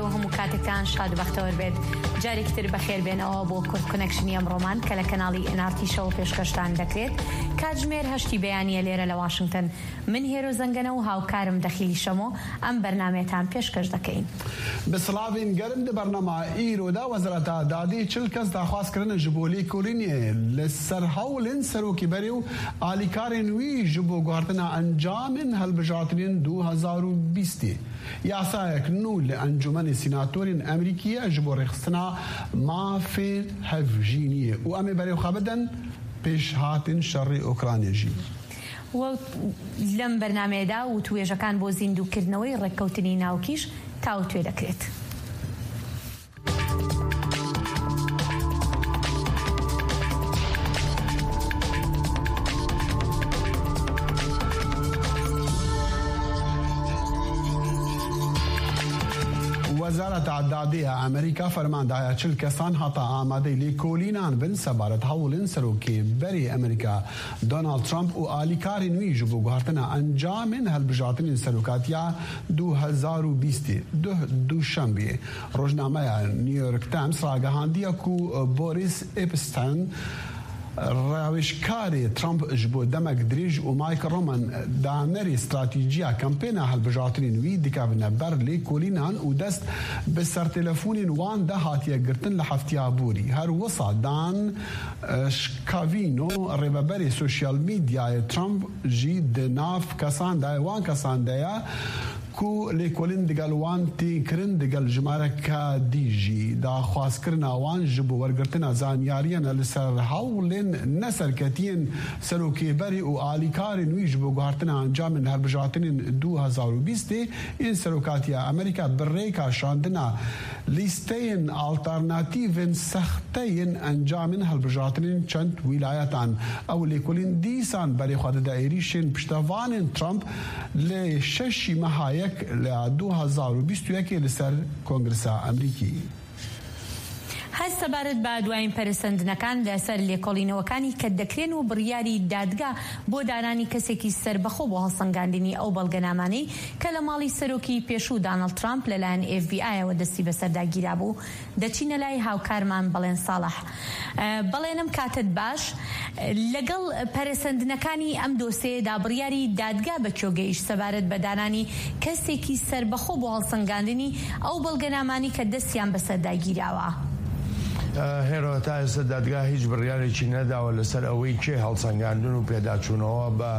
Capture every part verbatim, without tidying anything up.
و هەموو کاتێکتان شاد و بەختەوەر بێت. جارێکی تر بەخێر بێنەوە بۆ کورد کۆنێکشنی ئەمڕۆمان کە لە کەناڵی ئێن ئار تی شەوە پێشکەشتان دەکرێت. کاتژمێر هەشتی بەیانیە لێرە لە واشنگتن. من هێرۆ زەنگەنە و هاوکارم دەخیلی شەمۆ ئەم بەرنامەیەتان پێشکەش دەکەین. Bi silavên gerim di bernama îro de Wezareta Dadê çil kes daxwaz kirine ji bo lêkolînê li ser hewlên serokê berê û alîkarên wî ji bo guhertina encamên hilbijartinên du hezar û bîstê. Yasayek nû li Encûmenê Sînatorên Emerîkî ye ji bo rêxistina mafê hevjîniyê û em ê berê xwe bidin pêşhatên şerê Ukraynê jî. و لەم بەرنامەیەدا وتوێژەکان بۆ زیندووکردنەوەی ڕێککەوتنی ناوکیش تاوتوێ دەکرێت. Wezareta Dadê ya Amerîka ferman daye çil kesan heta amadeyî lêkolînan bin sebaret hewlên serokê berê Amerîka Donald Trump û alîkarên wî ji bo guhertina encamên hilbijartinên serokatiya du hezar û bîstê. Duh Duşembiyê rojnameya New York Times ragihandiye ku Boris Epstein, rawêjkarê Trump ji bo demek dirêj û Mike Roman danerê stratîjiya kampêna hilbijartinên wî dikevine ber lêkolînan û dest bi sertelefonên wan de hatiye girtin li heftiya borî. Her wisa Dan, eh, Scavino, rêveberê sosyal medyayê Trump jî di nav kesan de ye, wan kesan de ye. Ku lêkolîn digel wan tên kirin, digel jimareka dî jî daxwazkirina wan ji bo wergirtina zanyariyên li ser hewlên neserketiyên serokê berê û alîkarên wî ji bo guhertina encamên hilbijartinên du hezar û bîstê yên serokatiya Amerîka bi rêka şandina lîsteyên alternatîvên sexte yên encamên hilbijartinên çend wîlayetan. Ew lêkolîn dîsan berê xwe dide êrîşên piştevanên Trump li şeşî meha yek li du hezar û bîst û yekê li ser Kongresa Amerîkî. هەر سەبارەت بە دوایین پەرەسەندنەکان لەسەر لێکۆڵینەوەکانی کە دەکرێن و بڕیاری دادگا بۆ دانانی کەسێکی سەربەخۆ بۆ هەڵسەنگاندنی ئەو بەڵگەنامانەی کە لە ماڵی سەرۆکی پێشوو دانەڵد ترامپ لەلایەن ئێف بی ئایەوە دەستی بەسەردا گیرابوو، دەچینە لای هاوکارمان بەڵێن ساڵح. ئە، بەڵێنم کاتت باش. لەگەڵ پەرەسەندنەکانی ئەم دۆسێدا بڕیاری دادگا بە کوێ گەیشت سەبارەت بە دانانی کەسێکی سەربەخۆ بۆ هەڵسەنگاندنی ئەو بەڵگەنامانەی کە دەستیان بەسەردا گیراوە؟ ئە، هێرۆ، تا ئێستا دادگا هیچ بڕیارێکی نەداوە لەسەر ئەوەی کێ هەڵسەنگاندن و پێداچوونەوە بە،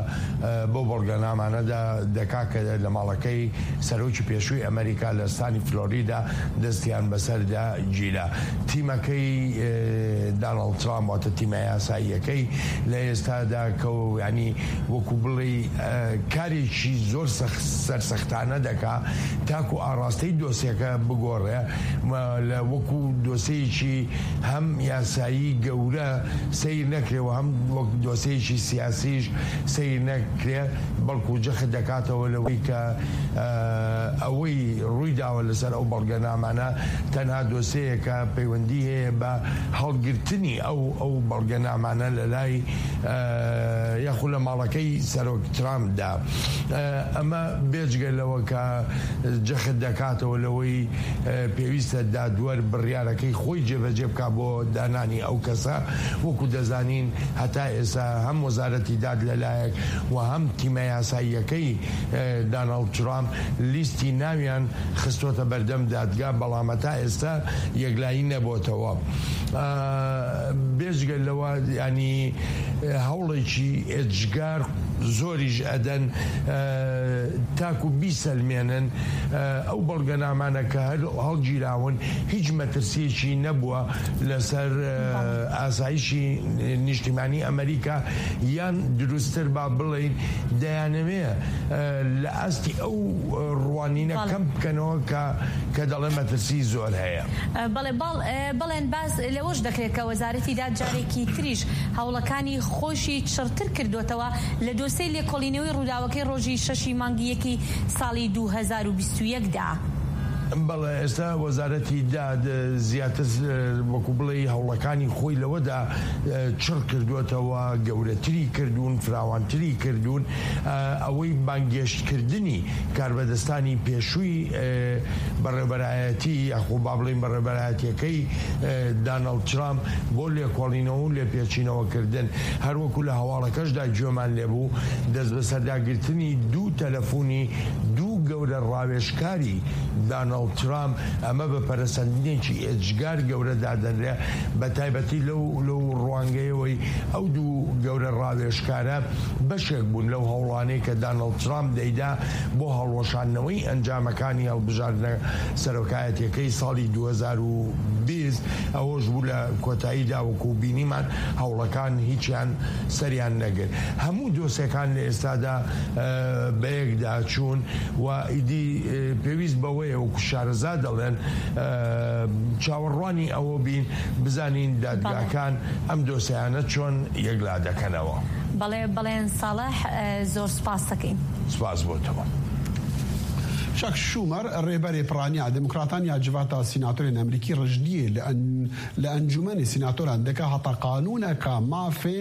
ئە، بۆ بەڵگەنامانەدا دەکا کە لە ماڵەکەی سەرۆکی پێشووی ئەمریکا لە ستانی فلۆریدا دەستیان بەسەردا گیرا. تیمەکەی، ئێ، داناڵد ترامپ، واتە تیمە یاساییەکەی لە ئێستادا کە و، یعنی، وەکو بڵێ، ئە، کارێکی زۆر سەخ-، سەرسەختانە دەکا تاکو ئاراستەی دۆسیەکە بگۆڕێ. مە-، لە وەکو دۆسیەکی هەم یاسایی گەورە سیر نەکرێ و هەم وەک دۆسیەکی سیاسیش سیر نەکرێ، بەڵکو جەخت دەکاتەوە لەوەی کە، ئە، ئەوەی ڕووی داوە لەسەر ئەو بەڵگەنامانە تەنها دۆسیەیەکە پەیوەندی هەیە بە هەڵگرتنی ئەو، ئەو بەڵگەنامانە لە لای، ئە، یاخود لە ماڵەکەی سەرۆک ترامپدا. ئە، ئەمە بێجگە لەوە کە جەخت دەکاتەوە لەوەی، ئە، پێویستە دادوەر بڕیارەکەی خۆی جێبەجێ بکا بۆ دانانی ئەو کەسە. وەکو دەزانین، هەتا ئێستا هەم وەزارەتی داد لەلایەک و هەم تیمە یاساییەکەی، ئە، داناڵد ترامپ لیستی ناویان خستۆتە بەردەم دادگا، بەڵام هەتا ئێستا یەکلایی نەبۆتەوە. ئە، بێجگە لەوە، ینی، ئە، هەوڵێکی ئێجگار زۆریش ئەدەن، ئە، تاکو بیسەلمێنن، ئە، ئەو بەڵگەنامانە کە هەر هەڵگیراون هیچ مەترسیەکی نەبووە لەسەر، ئە، بەڵێ. ئاسایشی نیشتیمانی ئەمریکا، یان دروستتر با بڵێین دەیانەوێ، ئە، لە ئاستی ئەو ڕوانینە بەڵێ. کەم بکەنەوە کە، کە دەڵێ مەترسی زۆر هەیە. ئە، بەڵێ، باڵ-، ئە، بەڵێن باز لەوەش دەکرێت کە وەزارەتی داد جارێکی تریش هەوڵەکانی خۆشی چڕتر کردوتەوە لە دۆسەی لێکۆڵینەوەی ڕووداوەکەی ڕۆژی شەشی مانگی یەکی ساڵی دوو هەزار و بیست و یەک دا. بەڵێ، ئێستا وەزارەتی داد، ئە، زیاتر، ئە، وەکو بڵێ هەوڵەکانی خۆی لەوەدا، ئە، چڕ کردووەتەوە، گەورەتری کردوون، فراوانتری کردوون. ئە، ئەوەی بانگێشتکردنی کاربەدەستانی پێشووی، ئە، بەڕێوەبەرایەتی، یاخۆ با بڵێن بەڕێوەبەرایەتیەکەی، ئە، دانەڵد ترامپ بۆ لێکۆڵینەوە و لێپێچینەوەکردن، هەروەکو لە هەواڵەکەشدا گوێمان لێبوو، دەست بە سەرداگرتنی دوو تەلەفۆنی دوو گەورە ڕاوێژکاری دانەڵد ترامپ، ئەمە بە پەرەسەندنێکی ئێجگار گەورە دادەنرێ، بە تایبەتی لەو، لەو ڕوانگەیەوەی ئەو دوو گەورە ڕاوێژکارە بەشێک بوون لەو هەوڵانەی کە دانەڵد ترامپ دەیدا بۆ هەڵوەشاندنەوەی ئەنجامەکانی هەڵبژاردنە سەرۆکایەتیەکەی ساڵی دوو هەزار و بیست. ئەوەش بوو لە کۆتاییدا، وەکو بینیمان، هەوڵەکان هیچیان سەریان نەگرت. هەموو دۆسێکان لە ئێستادا، ئە، بەیەکدا چوون و ئیدی، ئە، پێویست بەوەیە، وەکو شارەزا دەڵێن، ئە، چاوەڕوانی ئەوە بین، بزانین دادگاکان ئەم دۆسیانە چۆن یەکلا دەکەنەوە. بەڵێ، بەڵێن ساڵح، ئە، زۆر سپاس دەکەین. سپاس بۆ تەوە. چاک شومەر، ڕێبەرێ پڕانیا دموکراتان یا جڤاتا سیناتۆرێن ئەمریکی ڕژدیە لە ئەن-، لە ئەنجومەنی سیناتۆران دەکا هەتا قانوونەکە مافێ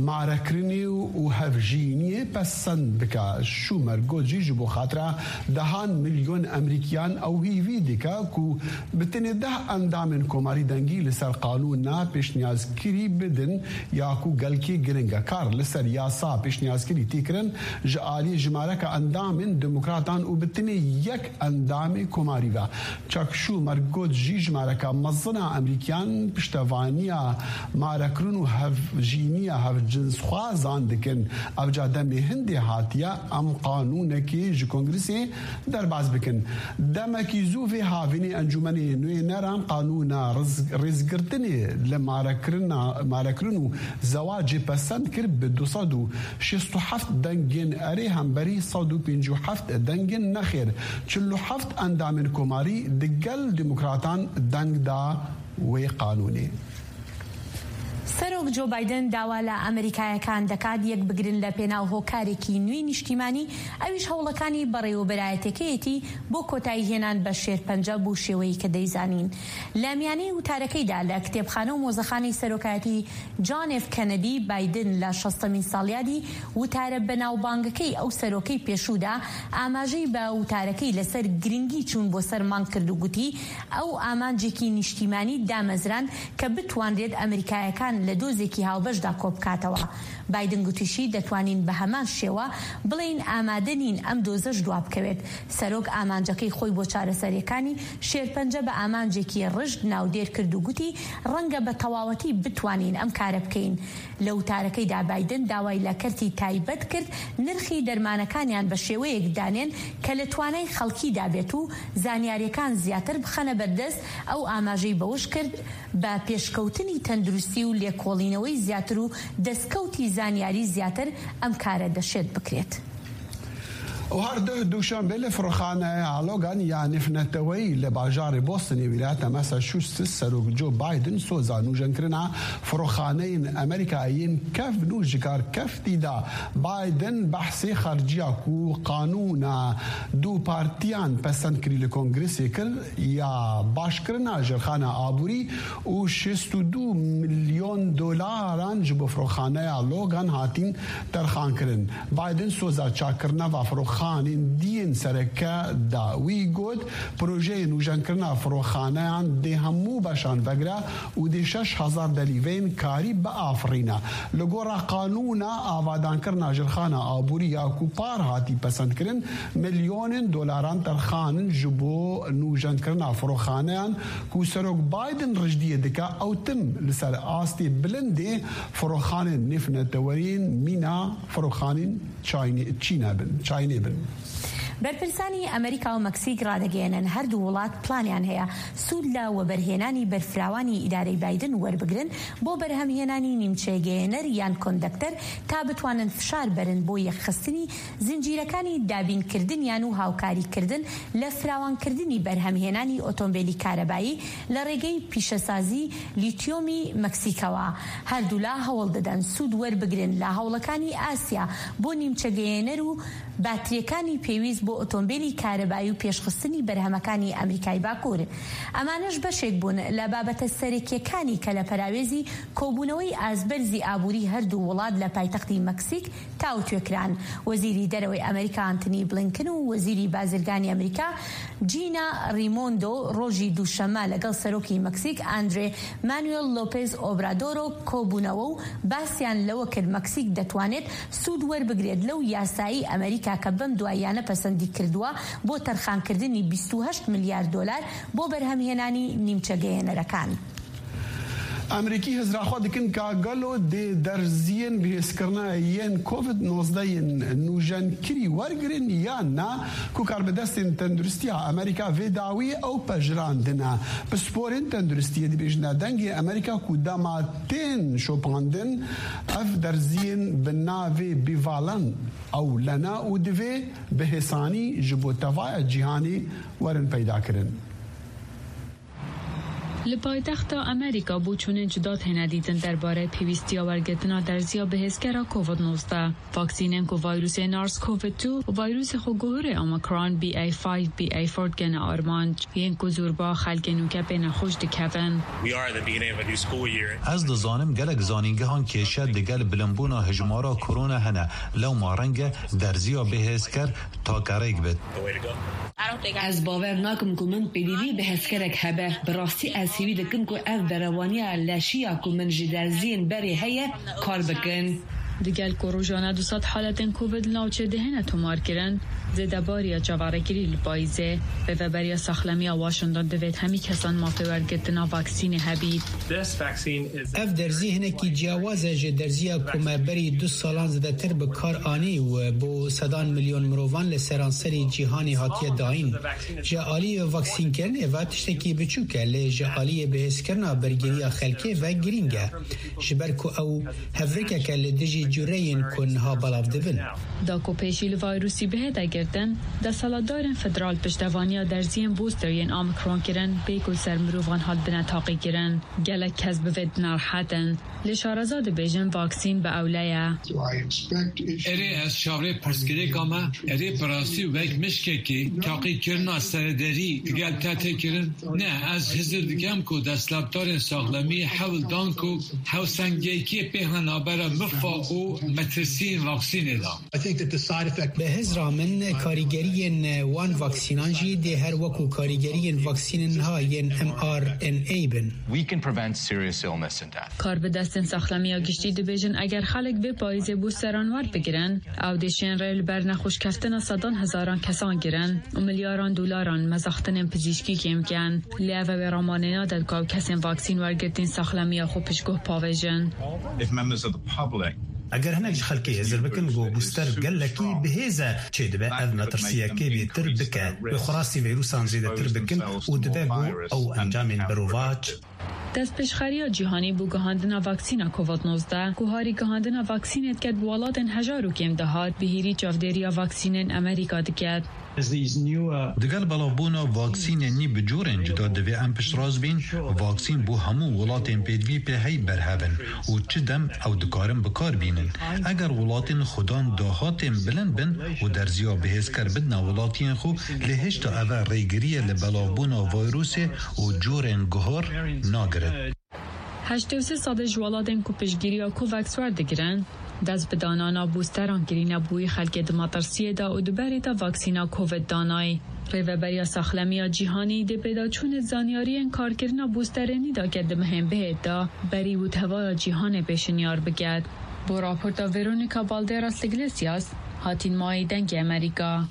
مارەکردنی و، و هەڤژینیە پەسەند بکا. شومەر گۆت جی، ji bo xatira dehan milyon Emerîkiyan ew hîvî dike ku bi tenê deh endamên komarî dengî li ser qanûna pêşniyazkirî bidin ya ku gelkî giring e. Kar li ser yasa pêşniyazkirî tê kirin ji aliyê jimareke endamên demokratan û bi tenê yek endamê komarî ve. Chuck Schumer got jî jimareke mezin a Emerîkiyan piştevaniya marekirin û hevjîniya hevcinsxwazan dikin. Ev ca demê hindê hatiye em qanûnekê ji Kongresê derbas bikin. Demekî zû vê havînê Encûmenê Nûneran qanûna riz-, rêzgirtinê li marekirina, marekirin û zewacê pesend kir, bi du sed û şêst û heft dengên erê hemberî sed û pêncî û heft dengên nexêr. Çil û heft endamên komarî di gel demokratan deng da wê qanûnê. سەرۆک جۆ بایدن داوا لە ئەمریکایەکان دەکات یەک بگرن لە پێناو هۆکارێکی نوێی نیشتیمانی، ئەویش هەوڵەکانی بەڕێوەبەرایەتەکەیەتی بۆ کۆتایی هێنان بە شێرپەنجە بۆ شێوەیەی کە دەیزانین. لە میانەی وتارەکەیدا لە کتێبخانە و مۆزەخانەی سەرۆکایەتی جان ئێف کەنەدی، بایدن لە شەستەمین ساڵیادی وتارە بەناوبانگەکەی ئەو سەرۆکەی پێشوودا ئاماژەی بە وتارەکەی لەسەر گرنگی چوون بۆ سەر مانگ کرد و گوتی، ئەو ئامانجێکی نیشتیمانی دامەزراند کە بتوانرێت ئەمریکایەکان لە دۆزێکی هاوبەشدا کۆبکاتەوە. بایدن گوتیشی، دەتوانین بە هەمان شێوە بڵێین ئامادە نین ئەم دۆزەش دوا بکەوێت. سەرۆک ئامانجەکەی خۆی بۆ چارەسەریەکانی شێرپەنجە بە ئامانجێکی ڕژد ناودێر کرد و گوتی، ڕەنگە بە تەواوەتی بتوانین ئەم کارە بکەین. لە وتارەکەیدا بایدن داوای لە کەرتی تایبەت کرد نرخی دەرمانەکانیان بە شێوەیەک دانێن کە لە توانای خەڵکیدا بێت و زانیاریەکان زیاتر بخەنە بەردەست. ئەو ئاماژەی بەوەش کرد، بە پێشکەوتنی تەندروستی و لێکۆڵینەوەی زیاتر و دەستکەوتی زانیاری زیاتر ئەم کارە دەشێت بکرێت. و هەر دوو دووشەمبێ لە فڕۆخانەیە ئالۆگان یا نفنەتەوەی لە باژارێ بۆستنی ویلایەتە مەسەچوستس سەرۆک جۆ بایدن سۆزا نوژەنکردنا فڕۆخانەین ئەمریکایین کەفن و ژکار کەفتیدا. بایدن بەحسێ خەرجیا کو قانونا دوو پارتیان پەسەند کری لە کۆنگرسێ کرد یا باشکردنا ژێرخانە ئابووری و شێست و دوو ملیۆن دۆلاران ji bo firoxaneya Logan hatîn terxankirin. Biden soza çakirina va firoxanên diyên sereke da. Wî got, projeyê nûjenkirina firoxaneyan dê hemû beşan vegira û dê şeş hezar delîveyên karî biafirîne. Li gora qanûna avadankirina jirxana aborî ya ku par hatî pesendkirin, milyonên dolaran terxan in ji bo nûjenkirina firoxaneyan ku Serok Biden rijdiyê dike, ew tim li ser astê bilindê firoxanên nêvnetewerî yên mîna firoxanên çaynê-, çîne bin, çaynê bin. بەرپرسانی ئەمریکا و مەکسیک ڕادەگەیەنن هەردوو وڵات پلانیان هەیە سوود لە وەبەرهێنانی بەرفراوانی ئیدارەی بایدن وەربگرن بۆ بەرهەمهێنانی نیمچەگەیەنەر یان کۆندەکتەر تا بتوانن فشار بەرن بۆ یەکخستنی زنجیرەکانی دابینکردنیان و هاوکاریکردن لە فراوانکردنی بەرهەمهێنانی ئۆتۆمبێلی کارەبایی لە ڕێگەی پیشەسازی لیتیۆمی مەکسیکەوە. هەردوولا هەوڵ دەدەن سوود وەربگرن لە هەوڵەکانی ئاسیا بۆ نیمچەگەیەنەر و باتریەکانی پێویست بۆ ئۆتۆمبیلی کارەبایی و پێشخستنی بەرهەمەکانی ئەمریکای باکوور. ئەمانەش بەشێک بوون لە بابەتە سەرەکیەکانی کە لە پەراوێزی کۆبوونەوەی ئازبەرزی ئابووری هەردوو وڵات لە پایتەختی مەکسیک تاوتوێکران. وەزیری دەرەوەی ئەمریکا ئانتنی بلینکن و وەزیری بازرگانی ئەمریکا جینا ریمۆندۆ ڕۆژی دووشەممە لەگەڵ سەرۆکی مەکسیک ئاندرێ مانوێل لۆپێز ئۆبرادۆرۆ کۆبوونەوە و باسیان لەوە کرد مەکسیک دەتوانێت سوود وەربگرێت لەو یاسایی ئەمریکا کە بەم دواییانە پەسەندی کردووە بۆ تەرخانکردنی بیست و هەشت ملیار دۆلار بۆ بەرهەمهێنانی نیمچەگەیەنەرەکان. ئەمریکی هزراخوا دکن کا گەلۆ دێ دەرزیین بهێزکردنە یێن کۆڤید نۆزدە یێن نوژەنکری وەرگرن یان نا، کو کاربەدەستێن تەندروستیا ئەمریکا vê dawî ئەو پەژراندنە. پسپۆرێن تەندروستیە دەبێژنە دەنگێ ئەمریکا کو دەما تێن شۆپاندن ئەف دەرزیین بە ناوێ بیڤالن ئەو لەنا و divê bi hêsanî ji bo tevaya cîhanê werin peydakirin. Li paytexta Amerîka boçûnên cuda têne dîtin derbarê pêwîstiya wergirtina derziya bihêzkera Covid nozdeh. Vaksînên ku vayrûsê SARS-CoV two û vayrûsê xweguhurê Omicron B A five B A four dikene armanc, yên ku zûrba xelkê nûke pê nexweş dikevin. We are at the beginning of a new school year. Ez dizanim gelek zanîngehan kêşe digel bilimbûna hijmara korona hene, lewma reng e derziya bihêzker take rêk bit. The way to go. Ez bawer nakim ku min pêdivî bihêzkerek hebe. Bi rastî ez hêvî dikim ku ev berevaniya leşî ya ku min ji derziyên berê heye, kar bikin. Digel ku rojane du sed haletên Covid li navçê dihêne tomarkirin, zêdebariya çaverêkirî li payîzê, Rêveberiya Saxlemiya Washington divêt hemî kesan mafê wergirtina vaksînê hebît. This vaccine is Ev derzî hinekî ciyawaz e ji derziya ku me berî du salan zêdetir bi kar anî û bo sedan milyon mirovan li seranserî cîhanê hatiye dayîn. Ji aliyê vaksînkirinê ve tiştekî biçûk e, lê ji aliyê bihêzkirina bergiriya xelkê ve girîng e. Ji ber ku ew hevrikek e li dijî cureyên ku niha belav dibin. Da ku pêşî li vayrûsî bihête girtin, desthilatdarên federal piştevaniya derziyên booster yên Omicron kirin, bê ku li ser mirovan hatibine taqîkirin. Gelek kes bi vê dinerehetin. Lê şareza dibêjin vaksîn bi ewle ye. Erê, ez çavrê pirsgirêka me. Erê, bi rastî wek mişkekê taqîkirina serederî digel te tê kirin? Ne, ez hizir dikem ku desthilatdarên saxlemî hewl dan ku hewsengekê pêhne nabera mifa û metirsiyên vaksînê de. I think that the side effect Bi hizra min, karîgeriyên wan vaksînan jî dê her wekû karîgeriyên vaksînên niha yên mRNA bin. We can prevent serious illness and death. Karbidestên saxlemiya giştî dibêjin, eger xelk vê payîzê bûsteran werbigirin, ew dê şên rê li ber nexweşkeftina sedan hezaran kesan girin û milyaran dolaran mezaxtinên pizîşkî kêm bikin. Lê ev ê ramanê nade ku ew kesên vaksîn wergirtîn saxlemiya xwe piştguh pavêjin. If members of the public Eger hinek ji xelkê hizir bikin ku bûster gelekî bihêz e, çêdibe ev metirsiyekê bêtir bike. Wê xwe rastî vîrûsan zêdetir bikin û dibe ku ew encamên berovac. Destpêşxeriya cîhanî bo gihandina vaksîna Covid nozdeh, ku harî gihandina vaksînê diket bi welatên hejar û kêm dihat, bi hêrî çavdêriya vaksînên Amerîka diket. Digel belavbûna vaksînên nî bi corên cuda divê em piştrast bîn, vaksîn bo hemû welatên pêdivî pê hey berhev in û çi dem ew dikarin bi kar bînin. Eger welatên xudan dahatên bilind bin û derziya bihêzker bidine welatiyên xwe, lê hêşta ev e rêgiriyê li belavbûna vayrûsê û corên guhar nagirin. Heştê û sê sedê ji welatên ku piştgiriya COVAX werdigirin, dest bi danana bûsteran kirîne bo wî xelkê di metirsiyê de û di berê de vaksîna Covid danayî. Rêveberiya Saxlemiya Cîhanî dê pêdaçûnê zanyariyên karkirina bûsterê nî dake di mehên bihêt de, berî û tevaya cîhanê pêşinyar biket. Bo raporta Veronica Balderas Iglesias, Hatîn Mayî, Dengê Amerîka.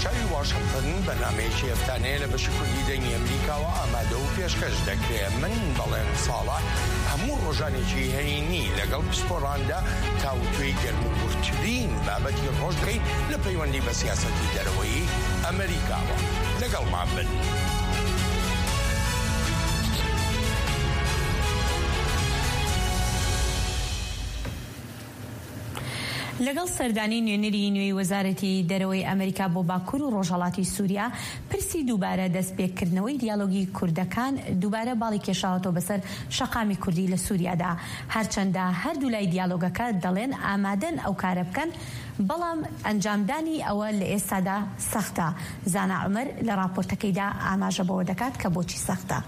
Çavî Washington, bernameyekî eftaneyê li beşê kurdî Dengê Amerîkawa amade û pêşkêş dekrê. Min Belen Salah, hemû rojanekî heyînî لەگەڵ پسپۆران دا تاوتوێی گەرموگورترین بابەتی ڕۆژ دەکەین لە پەیوەندی بە سیاسەتی دەرەوەی ئەمریکاوە. لەگەڵمان بن. لەگەڵ سەردانی نوێنەری نوێی وەزارەتی دەرەوەی ئەمریکا بۆ باکوور و ڕۆژهەڵاتی سووریا، پرسی دووبارە دەستپێکردنەوەی دیالۆگی کوردەکان دووبارە باڵی کێشاوەتەوە بەسەر شەقامی کوردی لە سووریادا. هەرچەندە هەردوو لای دیالۆگەکە دەڵێن ئامادەن ئەو کارە بکەن، بەڵام ئەنجامدانی ئەوە لە ئێستادا سەختە. زانا عومەر لە راپۆرتەکەیدا ئاماژە بەوە دەکات کە بۆچی سەختە.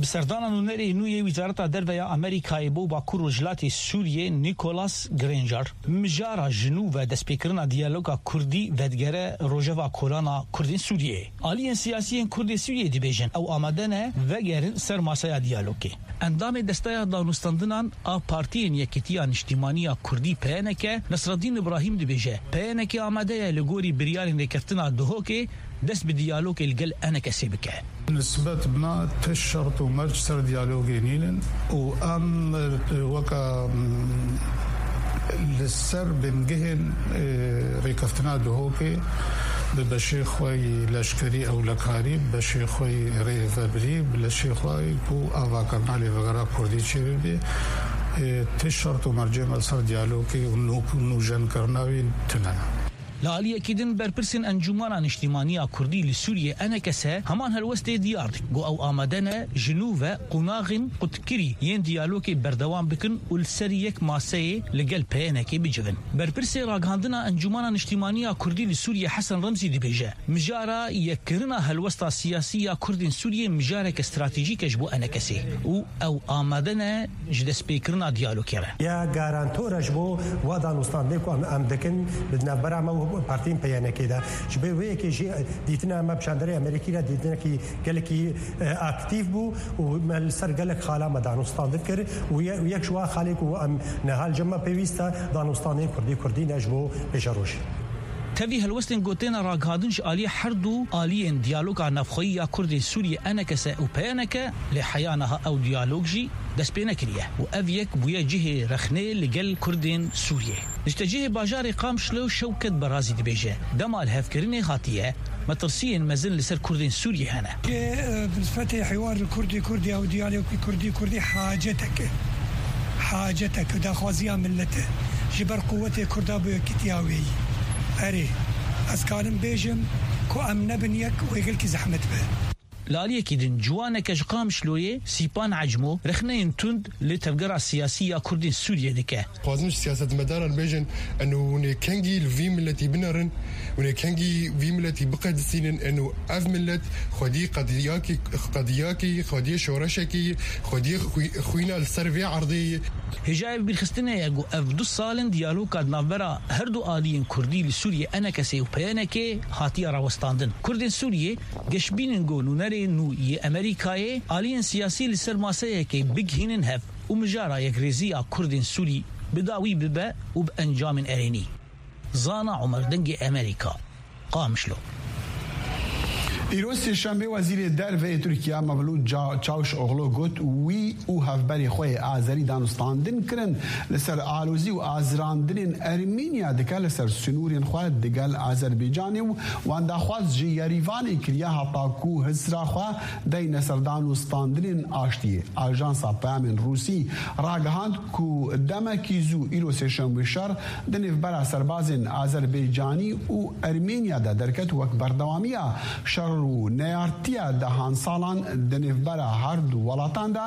Bi serdana nûnerê nû yê Wizareta Derve ya Amerîkayê bo Bakur Rojhilatê Sûriyê Nicholas Granger, mijara ji nû ve destpêkirina diyaloga Kurdî vedigere rojeva kolana Kurdên Sûriyê. Aliyên siyasî yên Kurdên Sûriyê dibêjin ew amade ne vegerin ser masaya diyalogê. Endamê Desteya Danûstandinan a Partiyên Yekîtiya Niştîmaniya Kurdî P N K, Nesreddîn Ibrahîm dibêje, P N K amade ye li gorî biryarên rêkeftina Duhokê dest bi diyalogê li gel E N K S'ê bike. Nisbet bi me ti şert û merc ser diyalogê nînin û em weke, mm, li ser bingehên, e, rêkeftina Duhokê bi beşê xwe yî leşkerî ewlekarî, bi beşê xwe yî rêvebirî, bi leşê xwe yî ku avakirina lêvegera Kurdî çêbibe, e, ti şert û mercê me li ser diyalogê û nû-, nûjenkirina wî tune ne. Li aliyekî din, berpirsên Encûmana Niştîmaniya Kurdî li Sûriyê, E N K S, heman helwestê diyar dikin, ku ew amade ne ji nû ve qonaxên qutkirî yên diyalogê berdewam bikin û li ser yek maseyê li gel P N K'ê bicivin. Berpirsê ragihandina Encûmana Niştîmaniya Kurdî li Sûriyê Hesen Remzî dibêje, mijara yekkirina helwesta siyasî ya Kurdên Sûriyê mijareke stratejîk e ji bo E N K S'ê û ew amade ne ji destpêkirina diyalogê re. Ya garantor e ji bo wa danûstandinê ku em, em dikin di navbera me û partiyên P N K'ê de. Ji bo wê yekê jî dîtina me bi çandera Amerîkî re dîtinekî gelekî, e, aktîf bû û me li ser gelek xala me danûstandin kir û ye-, û yek ji wa xalê ku em niha li cem me pêwîst e, danûstandinên Kurdî Kurdî ne ji bo pêşerojê. Tevî helwestên gotêne ragihandin ji aliyê her du aliyên diyaloga navxweyî ya Kurdên Sûriyê E N K S û P N K lê heya niha ew diyalog jî dest pê nekiriye û ev yek bûye cihê rexnê li gel Kurdên Sûriyê. Niştecihê bajarê Qamişlo Şewket Berazî dibêje, dema li hevkirinê hatiye, metirsiyên mezin li ser Kurdên Sûriyê hene. Ke, e, bi nisbetê hiwar li Kurdî Kurdî ew diyalogî Kurdî Kurdî hacetek e. Hacetek e, daxwaziya millet e. Ji ber quwetê Kurda bi yekîtiya wê yî. Erê, ez kanim bêjim ku em nebin yek wê gelkî zehmet be. Li aliyekî din, ciwaneke ji Qamişloyê, Sîpan Ecmo, rexneyên tund li tevgera siyasî ya Kurdên Sûriyê dike. Dixwazin ji siyasetmedaran bêjin, eno hûn ê kengî li vî miletî binerin, hûn ê kengî vî miletî biqedisînin, eno ev milet xwedî qediyakî, qediyakî, xwediyê şoreşekî, xwediyê xwî-, xwîna li ser vê erdê ye. Hêjayê bîrxistinê ye ku ev du sal in diyaloga di navbera her du aliyên Kurdî li Sûriyê E N K S û P N K hatiye rawestandin. Kurdên Sûriyê geşbînin ku nûnerê nû yê Amerîkayê aliyên siyasî li ser maseyekê bigihînin hev û mijara yekrêziya Kurdên Sûrî bi dawî bibe û bi encamên erênî. Zana Omer, Dengê Amerîka, Qamişlo. Îro Sêşemê Wezîrê Derve yê Tirkiye Mevlût Ca-, Çavuşoglu got, wî û hevberê xwe yê Azerî danûstandin kirin li ser alozî û azirandinên Ermînya dike li ser sinûrên xwe digel Azerbaycanê û wan daxwaz ji Yerîvanê kiriye heta ku hisra xwe deyne ser danûstandinên aştiyê. Ajansa Peyamên Rûsî ragihand ku demekî zû îro Sêşemê şer di nêvbera serbazên Azerbaycanî û Ermênya de derket, wek berdewamiya şer û neyartiya dehan salan di nêvbera her du welatan de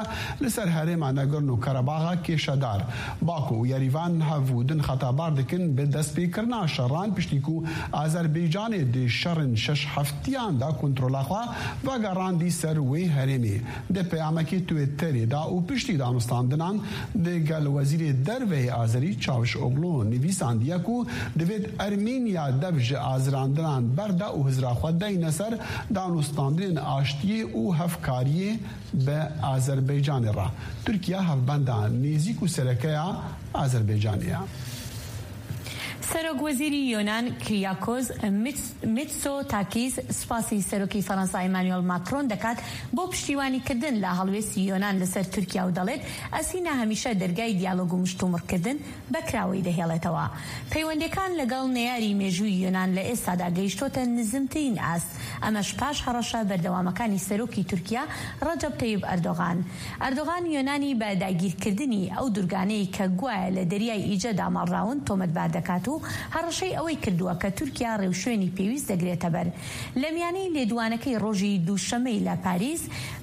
li ser herêma Nagorno-Karabaxa kêşedar. Baku û Yerîvan hev û din xetabar dikin bi destpêkirina şeran, piştî ku Azerbaycanê di şerên şeş heftiyan de kontrola xwe vegerandî ser wê herêmê. Di peyamekî Twitterê de û piştî danûstandinan digel Wezîrê Derve yê Azerî Çavuşoglu nivîsandiye ku divêt Ermînya dev ji azirandinan berde û hizra xwe deyne ser danûstandinên aştiyê û hevkariyê bi Azerbaycanê re. Tirkiye hevbenda nêzîk û serekeya Azerbaycanê ye. سەرۆک وەزیری یۆنان کریاکۆز میتس-، میتسۆتاکیس سپاسی سەرۆکی فەڕەنسا ئیمانوێل ماکرۆن دەکات بۆ پشتیوانیکردن لە هەڵوێستی یۆنان لەسەر تورکیا و دەڵێت، ئەسینا هەمیشە دەرگای دیالۆگ و مشتومڕکردن بە کراوەی دەهێڵێتەوە. پەیوەندیەکان لەگەڵ نەیاری مێژووی یۆنان لە ئێستادا گەیشتۆتە نزمترین ئاست، ئەمەش پاش هەڕەشە بەردەوامەکانی سەرۆکی تورکیا ڕەجەب تەیب ئەردۆغان. ئەردۆغان یۆنانی بە داگیرکردنی ئەو دوورگانەی کە گوایە لە دەریای ئیجە داماڵراون تۆمەتبار دەکات و هەڕەشەی ئەوەی کردووە کە تورکیا ڕێوشوێنی پێویست دەگرێتە بەر. لە میانەی لێدوانەکەی ڕۆژی دووشەممەی لە پاریس،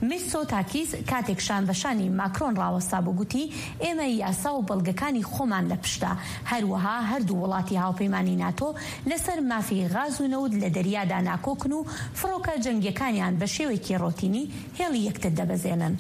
میتسۆتاکیس کاتێک شان بە شانی ماکرۆن ڕاوەستا بوو گوتی، ئێمە یاسا و بەڵگەکانی خۆمان لە پشتە. هەروەها هەردوو وڵاتی هاوپەیمانی ناتۆ لەسەر مافی غاز و نەوت لە دەریادا ناکۆکن و فڕۆکە جەنگیەکانیان بە شێوەیەکی ڕۆتینی هێڵی یەکتر دەبەزێنن.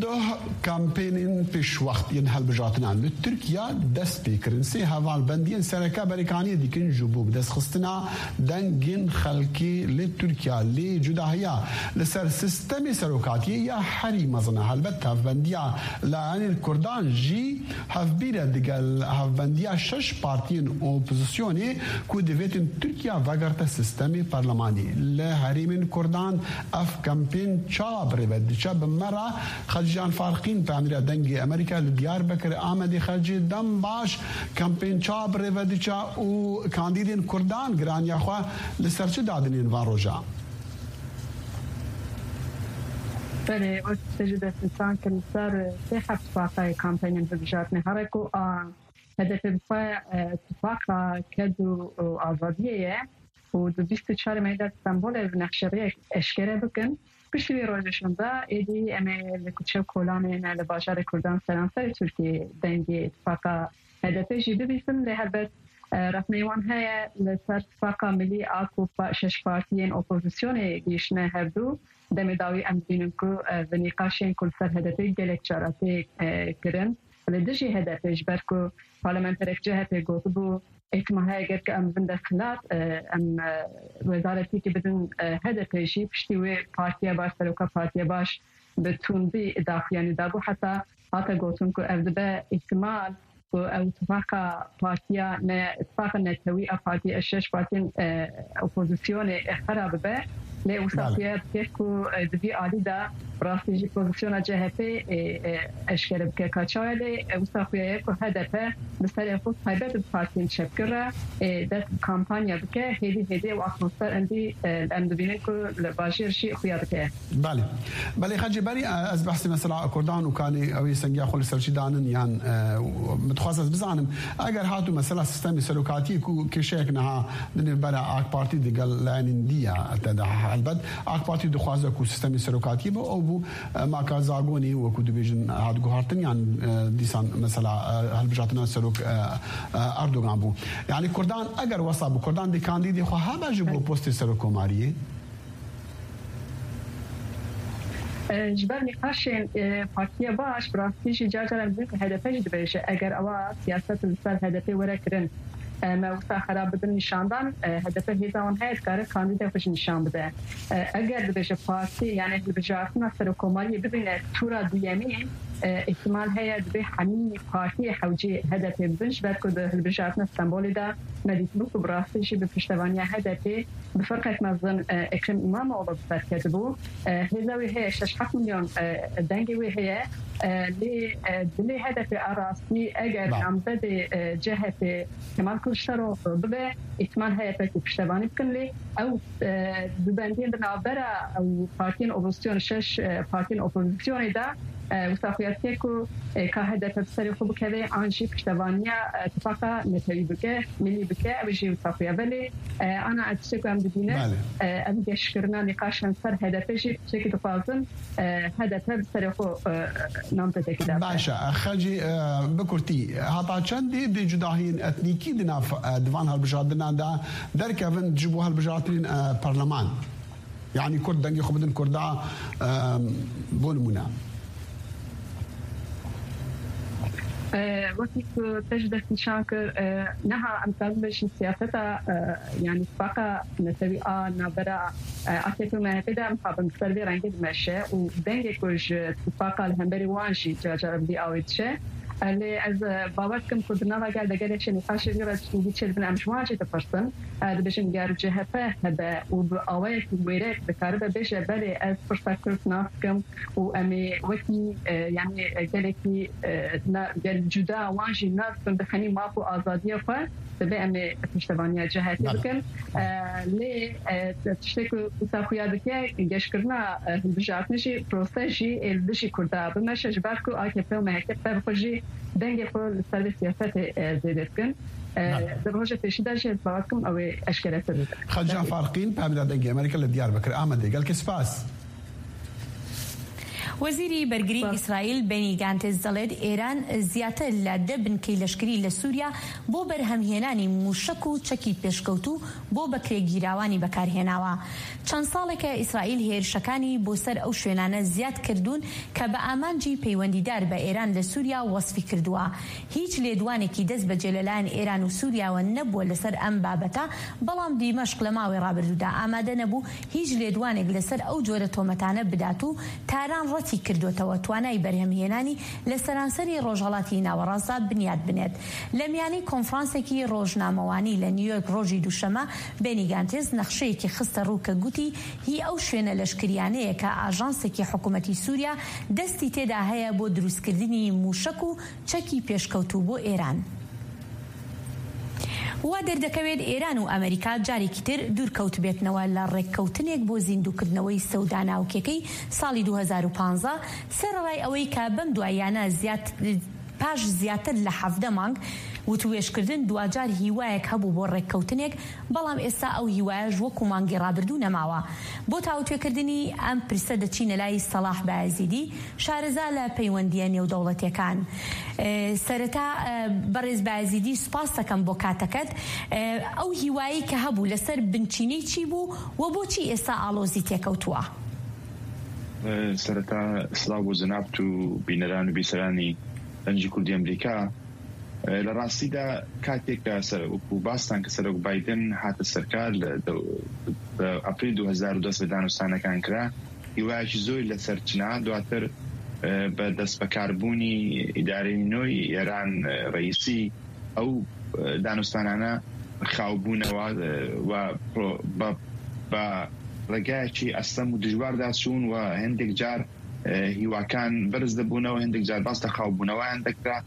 Doh kampênên pêşwext yên hilbijartinan li Tirkiye dest pê kirin. Sê hevalbendiyên sereke berêkaniyê dikin ji bo bidestxistina dengên xelkê li Tirkiye. Lê cudahiya li ser sistemê serokatiyê ya herî mezin e. Helbet hevbendiya layenên Kurdan jî hevbîr e digel hevbendiya şeş partiyên opozisyonê ku divêtin Tirkiye vegerte sistemê parlemanî. Li herêmên Kurdan ev kampên çawa bi rê ve diçe? Bi me re Xelcî Can Farqîn, peyamnêra Dengê Amerîka li Diyarbekir, Amedê. Xelcî, dem baş. Kampên çawa bi rê ve diçe û kandîdên Kurdan giraniya xwe li ser çi dadinên van roja? Belê, wek te jî destnîşan kir, li ser sê heb tifaqa ye kampênên hilbijartinê. Here ku a H D P bi xwe, e, tifaqa ked û, û azadiyê ye û di bîst û çar Meyê de Stenbolê bi nexşeriyek eşkere bikin. Piştî wî rojê şûnde êdî em ê li kuçe û kolanê ne li bajarê Kurdan seranserê Tirkiyê dengê tifaqa H D P jî bibîsin. Lê helbet, e, rexneyê wan heye li ser tifaqa milî a ku pa-, şeş partiyên opozisyonê gihîştine hevdu. Demê dawî em dibînin ku, e, bi nîqaşên ku li ser H D P gelek cara tê, e, kirin. Li dijî H D P, ji ber ku parlamenterek C H P gotibû, îhtimal heye ger ku em bibin desthilat, e, em, e, wezaretîkî bidin, e, H D P jî. Piştî wê Partiya Baş, seroka Partiya Baş bi tundî daxuyanî dabû. Heta hate gotin ku ev dibe îhtimal ku ew tifaqa partiya ne, tifaqa netewî a partiyê, şeş partiyên, e, opozisyonê, e, xera bibe. Lê wisa Belê. xuya dike ku, e, di vî alî de bi rastî jî pozisyona C H P, e, e, eşkere bike ka çawa. Lê, e, wisa xuya ye ku H D P bi serê xwe taybet bi partiyên çepgir re, e, dest bi kampanya bike. Hêdî hêdî ew atmosfer endî, e, em dibînin ku li bajêr jî xuya dike. Belê. Belê, Xecê, berî, e, ez behsê mesela Kurdan û kanê ew ê sengiya xwe li ser çi danin yan, e, min dixwest ez bizanim, eger hatû mesela sistemê serokatiyê ku kêşeyek niha di nêvbera AK Partî digel layenên dî ya te de, helbet AK Partî dixwaze ku sistemê serokatiyê bi ew bû, e, maka Zagonê wekû dibêjin hat guhartin yan, e, dîsan mesela, e, hilbijartina serok, e, e, Erdogan bû. Yani Kurdan eger wesa bû, Kurdan dê kandîdê xwe hebe ji bo postê serokkomariyê? E, ji ber nîqaşên, e, Partiya Baş, bi rastî jî car car em dibînin ku H D P jî dibêje, eger ewa siyaset li ser H D P were kirin, e, me wisa xera bidin nîşandan, e, H D P hêza wan heye dikare kandîdê xwe jî nîşan bide. E, eger dibêje partî, yani hilbijartina serokkomariyê bibîne tûra duyemîn, e, îhtimal heye dibê hemî partiyê hewcî H D P bibin, ji ber ku di hilbijartina Stenbolê de me dîtibû ku bi rastî jî bi piştevaniya H D P bi firqek mezin, e, Ekrem İmamoğlu bi ser ketibû. E, hêza wê heye, şeş heft milyon, e, dengê wê heye. E, lê, e, dilê H D P a rastî eger Bale. namzedê, e, C H P Kemal Kılıçdaroğlu bibe, îhtimal heye pekî piştevanî bikin, lê ew, e, dubendiyên di navbera ew partiyên opozisyon, şeş, e, partiyên opozisyonê de, e, wisa xuya dike ku, e, ka H D P bi serê xwe bikeve an jî piştevaniya, e, tifaqa netewî bike, milî bike, ew jî wisa xuya. Belê, e, ana tiştê ku em dibînin, Bale. e, ev geşkirina nîqaşan ser H D P jî tiştekî dixwazin, e, H D P bi serê xwe, e, namzedekî de. Baş e, Xecî, e, bi kurtî, heta çendê dê cudahiyên etnîkî di nav, e, di van hilbijartinan de derkevin ji bo hilbijartinên, e, parleman? Yani Kurd dengê xwe bidin Kurda, e, bo nimûne. E, wekî ku te jî destnîşan kir, e, niha em karin bêjin siyaseta, e, yani tifaqa netewî a navbera, e, A K P û M H P de em xabin bi ser vê rengê dimeşe û dengê ku ji tifaqa li hemberî wan jî car car bi vî awê diçe, Lê ez, e, bawer dikim ku di nava gel de gelek şênîqaşê vî re tiştî çêdibin, em ji wan jî dipirsin. E, dibêjin ger C H P hebe û bi awayekî wêrek dikaribe bêje, belê ez pirsa Kurd nas dikim û em ê wekî, e, yanî, e, gelekî, e, na, gel cuda wan jî nas dikim, di xenî maf û azadiya xwe, dibe em ê piştevaniya C H P Belê. bikin. E, lê, e, tiştê ku wisa xuya dike, geşkirina, e, hilbijartinê jî, proses jî ê li dijî Kurda bimeşe, ji ber ku A K P û M H K bi xwe jî dengê xwe li ser vê siyasetê, e, zêde dikin. E, Belê. Di roja pêşî de jî ez bawer dikim ew ê eşkeretir bibe. Xedca Belê. Farqîn, Pemela Dengê Amerîka li Diyarbekir, Amedê. Gelkî spas. وەزیری بەرگری ئیسرائیل بێنی گانتز دەڵێت ئێران زیاتر لە دە بنکەی لەشکری لە سووریا بۆ بەرهەمهێنانی مووشەک و چەکی پێشکەوتوو بۆ بەکرێگیراوانی بەکارهێناوە. چەند ساڵێکە ئیسرائیل هێرشەکانی بۆ سەر ئەو شوێنانە زیاد کردوون کە بە ئامانجی پەیوەندیدار بە ئێران لە سووریا وەسفی کردووە. هیچ لێدوانێکی دەست بەجێ لەلایەن ئێران و سووریاوە نەبووە لەسەر ئەم بابەتە، بەڵام دیمەشق لە ماوەی ڕابردوودا ئامادە نەبوو هیچ لێدوانێک لەسەر ئەو جۆرە تۆمەتانە بدات و تاران ڕەتی کردوتەوە توانای بەرهەمهێنانی لە سەرانسەری ڕۆژهەڵاتی ناوەڕاستدا بنیاد بنێت. لە میانی کۆنفرانسێکی ڕۆژنامەوانی لە نیویۆرک ڕۆژی دووشەمە، بێنی گانتێز نەخشەیەکی خستە ڕوو کە گوتی هی ئەو شوێنە لەشکریانەیە کە ئاژانسێکی حکوومەتی سووریا دەستی تێدا هەیە بۆ دروستکردنی مووشەک و چەکی پێشکەوتوو بۆ ئێران. وا دەردەکەوێت ئێران و ئەمریکا جارێکی تر دوورکەوتبێتنەوە لە ڕێککەوتنێک بۆ زیندووکردنەوەی سەودا ناوکیەکەی ساڵی دوو هەزار و پازدە، سەرەڕای ئەوەی کە بەم دواییانە زیات-، پاش زیاتر لە حەڤدە مانگ وتووێژکردن، دواجار هیوایەک هەبوو بۆ ڕێککەوتنێک، بەڵام ئێستا ئەو هیوایەش وەکو مانگی ڕابردوو نەماوە. بۆ تاوتوێکردنی ئەم پرسە دەچینە لای سەلاح بایزیدی، شارەزا لە پەیوەندیە نێودەوڵەتیەکان. ئێ، سەرەتا، ئێ، بەڕێز بایزیدی، سوپاس دەکەم بۆ کاتەکەت. ئێ، ئەو هیوایی کە هەبوو لەسەر بنچینەی چی بوو و بۆچی ئێستا ئاڵۆزی تێکەوتووە؟ ئێ، سەرەتا سڵاو بۆ جەنابت و بینەران و بیسەرانی دەنگی کوردی ئەمریکا. ئێ، لە ڕاستیدا کاتێک کە سەر-، وەکو باستان کە سەرۆک بایدن هاتە سەرکار لە دە-، لە ئەپریل دوو هەزار و دە لە دانوستانەکان کرا، هیوایەکی زۆری لەسەر چنا. دواتر، ئێ، بە دەست بەکاربوونی ئیدارەی نوێی ئێران، ئێ، ڕەئیسی، ئەو، ئێ، دانوستانانە خاوبوونەوە، ئێ، و پرۆ-، بە، بە ڕێگایەکی ئەستەم و دژواردا چوون و هەندێک جار، ئێ، هیواکان بەرز دەبوونەوە، هەندێک جار باس لە خاوبوونەوەیان دەکرا.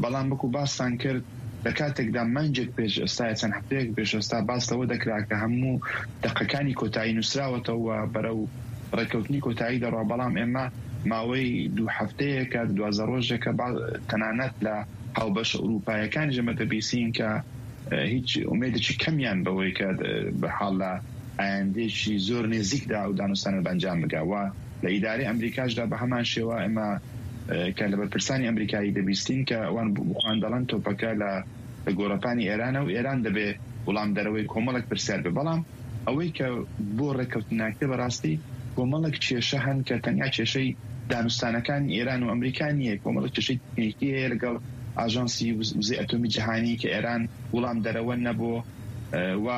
بەڵام وەکو باستان کرد، لە کاتێکدا مانگێک پێش ئێستا یا چەند هەفتەیەک پێش ئێستا باس لەوە دەکرا کە هەموو دەقەکانی کۆتایی نووسراوەتەوە و بەرەو ڕێککەوتنی کۆتایی دەڕوا، بەڵام ئێمە ماوەی دوو هەفتەیەکە، دوازدە ڕۆژێکە با-، تەنانەت لە هاوبەشە ئەوروپایەکانیش ئێمە دەبیسین کە، ئێ، هیچ ئومێدێکی کەمیان بەوەی کە، ئێ، بە حاڵ لە ئایندەیەکی زۆر نێزیکدا ئەو دانوستانە بە ئەنجام بگا. و لە ئیدارەی ئەمریکاشدا بە هەمان شێوە ئێمە، ئێ، کە لە بەرپرسانی ئەمریکایی دەبیستین کە ئەوان بخوان دەڵێن تۆپەکە لە، لە گۆڕەپانی ئێرانە و ئێران دەبێ وڵامدەرەوەی کۆمەڵێک پرسیار بێ. بەڵام ئەوەی کە بۆ ڕێککەوتن ناکرێ، بەڕاستی کۆمەڵێک کێشە هەن کە تەنیا کێشەی دانوستانەکانی ئێران و ئەمریکا نییە، کۆمەڵێک کێشەی تەکنیکی هەیە لەگەڵ ئاژانسی وز-، وزەی ئەتۆمی جیهانی کە ئێران وڵامدەرەوە نەبوو، ئێ، و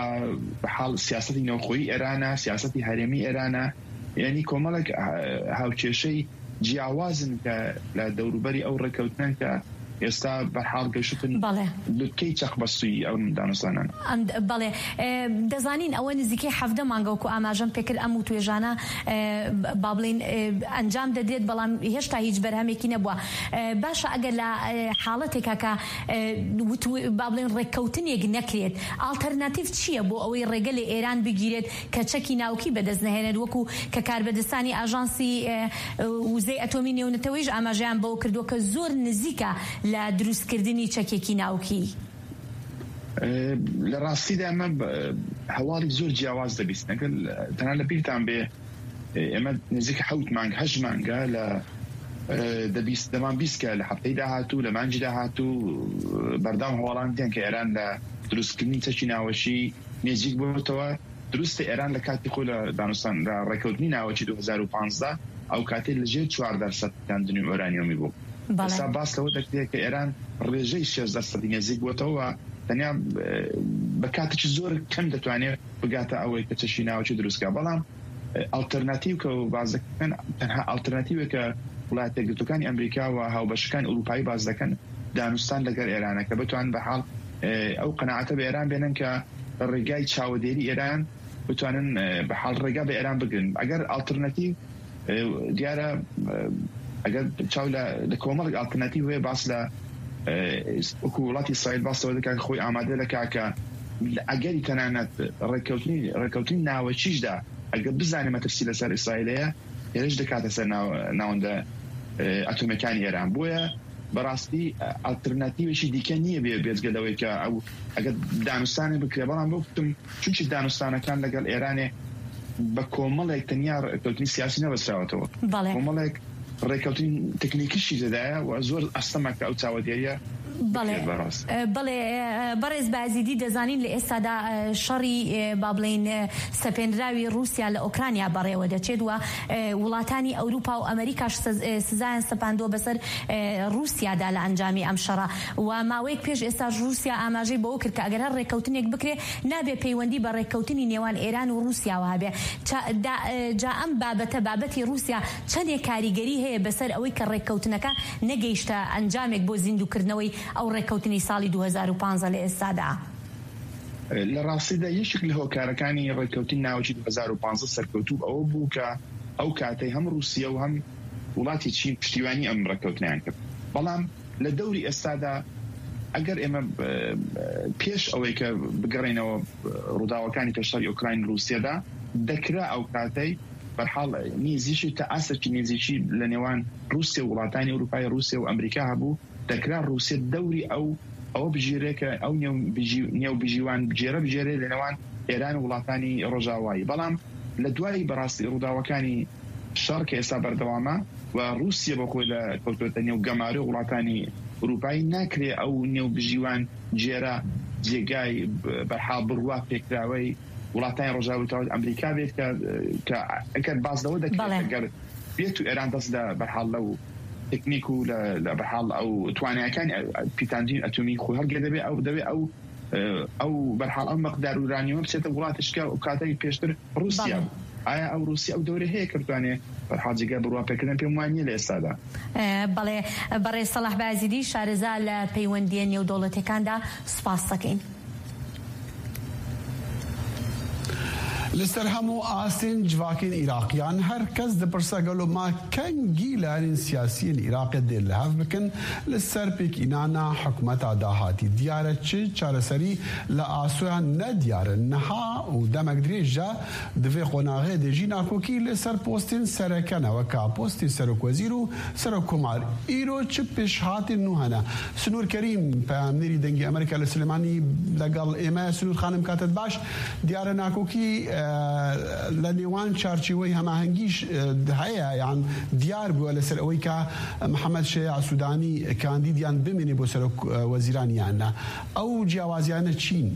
بە حاڵ سیاسەتی نەوخۆیی ئێرانە، سیاسەتی هەرێمی ئێرانە، یعنی کۆمەڵێک، ئێ، هاوکێشەی جیاوازن کە لە دەوروبەری ئەو ڕێککەوتنەن کە ئێستا بەرحاڵ گەشتن بەڵێ. لوتکەی چەق بەستووی ئەو دانوستانان. ئەم د-، بەڵێ. ئێ، دەزانین ئەوە نزیکەی حەڤدە مانگە وەکو ئاماژەم پێکرد ئەم وتوێژانە، ئێ، با بڵێن، ئێ، ئەنجام دەدرێت، بەڵام هێشتا هیچ بەرهەمێکی نەبووە. ئێ، باشە، ئەگەر لە، ئێ، حاڵەتێکا کە، ئێ، وتو-، با بڵێن ڕێککەوتنێک نەکرێت، ئالتەرناتیڤ چییە بۆ ئەوەی ڕێگە لە ئێران بگیرێت کە چەکی ناوکی بەدەست نەهێنێت، وەکو کە کاربەدەستانی ئاژانسی، ئێ، وزەی ئەتۆمی نێونەتەوەیش ئاماژەیان بەوە کردووە کە زۆر نزیکە لە دروستکردنی چەکێکی ناوکی؟ ئێ، لە ڕاستیدا ئەمە ب-، هەواڵی زۆر جیاواز دەبیستن. ئەگەر تەنها لە بیرتان بێ، ئێ، ئێمە نزیک حەوت مانگ، هەشت مانگە لە، ئێ، دەبیست-، دەمان بیست کە لە هەفتەی داهاتوو، لە مانگی داهاتوو، بەردەوام هەواڵان دێن کە ئێران لە دروستکردنی چەکی ناوەکی نێزیک بووەتەوە. دروستە ئێران لە کاتی خۆی لە دانوستان، لە ڕێککەوتنی ناوەکی دوو هەزار و پازدە ئەو کاتەی لە ژێر چوار دەرسەد کاندنی ئۆرانیۆمی بوو. بەڵێ. ئێستا باس لەوە دەکرێت کە ئێران ڕێژەی شێزدە سەدی نێزیک بووەتەوە و تەنیا، ئێ، بە کاتێکی زۆر کەم دەتوانێت بگاتە ئەوەی کە چەکی ناوەکی دروستکە. بەڵام، ئێ، ئالتەرناتیو کە باس دەکەن، تەنها ئالتەرناتیوێک کە وڵایەتە یەکگرتوەکانی ئەمریکا و هاوبەشەکانی ئەوروپایی باس دەکەن، دانوستان لەگەڵ ئێرانە کە بتوان بە حاڵ، ئێ، ئەو قەناعەتە بە ئێران بێنن کە ڕێگای چاوەدێری ئێران بتوانن، ئێ، بە حاڵ ڕێگا بە ئێران بگرن. ئەگەر ئالترناتیڤ، ئێ، دیارە، ئێ، ئەگەر چاو لە، لە کۆمەڵێک ئالترناتیڤ هەیە، باس لە، ئێ، وەکو وڵاتی ئیسرائیل باس لەوە دەکات کە خۆی ئامادە دەکات کە لە ئەگەری تەنانەت ڕێککەوتنی، ڕێککەوتنی ناوەکیشدا، ئەگەر بزانێ مەترسی لەسەر ئیسرائیل هەیە، هێرش دەکاتە سەر ناو-، ناوەندە، ئێ، ئەتۆمیەکانی ئێران. بۆیە بەڕاستی ئالترناتیوێکی دیکە نییە بێ-، بێجگە لەوەی کە ئەو ئەگەر دانوستانێ بکرێ، بەڵام بۆ گوتم چونکی دانوستانەکان لەگەڵ ئێرانێ بە کۆمەڵێک تەنیا ڕێککەوتنی سیاسی نەبەستراوەتەوە. بەڵێ. کۆمەڵێک ڕێککەوتنی تەکنیکیشی تێدایە و زۆر ئەستەمە کە ئەو چاوەدێریە بڵێ. بکرێت بەڕاست. بڵێ، بەڕێز بازیدی، دەزانین لە ئێستادا، شەڕی، با بڵێن، سەپێنراوی رووسیا لە ئۆکرانیا بەڕێوە دەچێت و، وڵاتانی ئەوروپا و ئەمریکاش سز-، سزایان سەپاندووە بەسەر، رووسیادا لە ئەنجامی ئەم شەڕە. و ماوەیەک پێش ئێستاش رووسیا ئاماژەی بەوە کرد کە ئەگەر هەر ڕێککەوتنێک بکرێ، نابێ پەیوەندی بە ڕێککەوتنی نێوان ئێران و رووسیاوە هەبێ. چا-، دا-، جا ئەم بابەتە، بابەتی رووسیا چەندێک کاریگەری هەیە بەسەر ئەوەی کە ڕێککەوتنەکە نەگەیشتە ئەنجامێک بۆ زیندووکردنەوەی ئەو ڕێککەوتنی ساڵی دوو هەزار و پازدە لە ئێستادا؟ لە ڕاستیدا یەکێک لە هۆکارەکانی ڕێککەوتنی ناوەکی دوو هەزار و پازدە سەرکەوتوو ئەوە بوو کە ئەو کاتەی هەم رووسیا و هەم وڵاتی چین پشتیوانی ئەم ڕێککەوتنیان کرد. بەڵام لە دەوری ئێستادا ئەگەر ئێمە، ئە، پێش ئەوەی کە بگەڕێنەوە ڕووداوەکانی پێشتری ئۆکراین رووسیادا، دەکرا ئەو کاتەی بەرحاڵ نێزیکی تا ئاستێکی نێزیکی لە نێوان رووسیا و وڵاتانی ئەوروپای، رووسیا و ئەمریکا هەبوو، دەکرا رووسیا دەوری ئەو، ئەوە بگیرێ کە ئەو نێو بگی-، نێو بگیوان بگێرە بگێرێ لە نێوان ئێران و وڵاتانی ڕۆژاوایی. بەڵام لە دوای بەڕاستی ڕووداوەکانی شەڕ کە ئێستا بەردەوامە و رووسیا بە خۆی لە کەوتوتە نێو گەمارۆ وڵاتانی ئەوروپایی، ناکرێ ئەو نێو بگیوان گێرە جێگای ب-، بەرحاڵ بڕوا پێکراوەی وڵاتانی ڕۆژاوی تاوت ئەمریکا بێت کە، کە ئەگەر باز لەوە دەکرێت، بەڵێ. ئەگەر بێت و ئێران دەست لە بەرحاڵ لەو تەکنیک و لە، لە بەرحاڵ ئەو توانایەکانی ئە-، ئە-، پیتاندین ئەتومی خۆی هەڵگێ دەبێ، ئەو دەبێ ئەو، ئە، ئەو بەرحاڵ ئەو مەقدار ئورانیومە بچێتە وڵاتش کە ئەو کاتەی پێشتر رووسیا بەڵێ. بوو. ئایا ئەو رووسیا ئەو دەورە هەیە کردوانێ بەرحاڵ جێگای بڕوا پێکردن؟ پێم وان نییە لە ئێستادا. ئە، بەڵێ، بەڕێز سەڵاح بازیدی، شارەزا لە پەیوەندیە نێودەوڵەتەکاندا، سوپاس دەکەین. لەسەر هەموو ئاستین جڤاکین عێراقیان هەر کەس دپرسە گەلۆ ما کەنگی لایەنین سیاسیین عێراقێ دێ لە هەف بکن لەسەر پێکئینانا حکومەتا داهاتی. دیارە چ چارەسەری لە ئاسۆیان نەدیارە. نەها و دەمەک درێژە دڤێ قۆناغێ دێژی ناکۆکی لەسەر پۆستین سەرەکەنەوە کا پۆستی سەرۆک وەزیر و سەرۆک کۆمار. ئیرۆ چ پێشهاتین نوو هەنە؟ سنوور کەریم، پەیامنێری دەنگی ئەمریکا لە سلێمانی، لەگەڵ ئێمە. سنوور خانم، کاتت باش. دیارە ناکۆکی، ئە، لە نێوان چارچێوەی هەماهەنگیش، ئە، هەیە، یان دیار بووە لەسەر ئەوەی کە محەممەد شەیاع سوودانی کاندیدیان بمێنێ بۆ سەرۆک، ئە، وەزیران یان نا. ئەو جیاوازیانە چین؟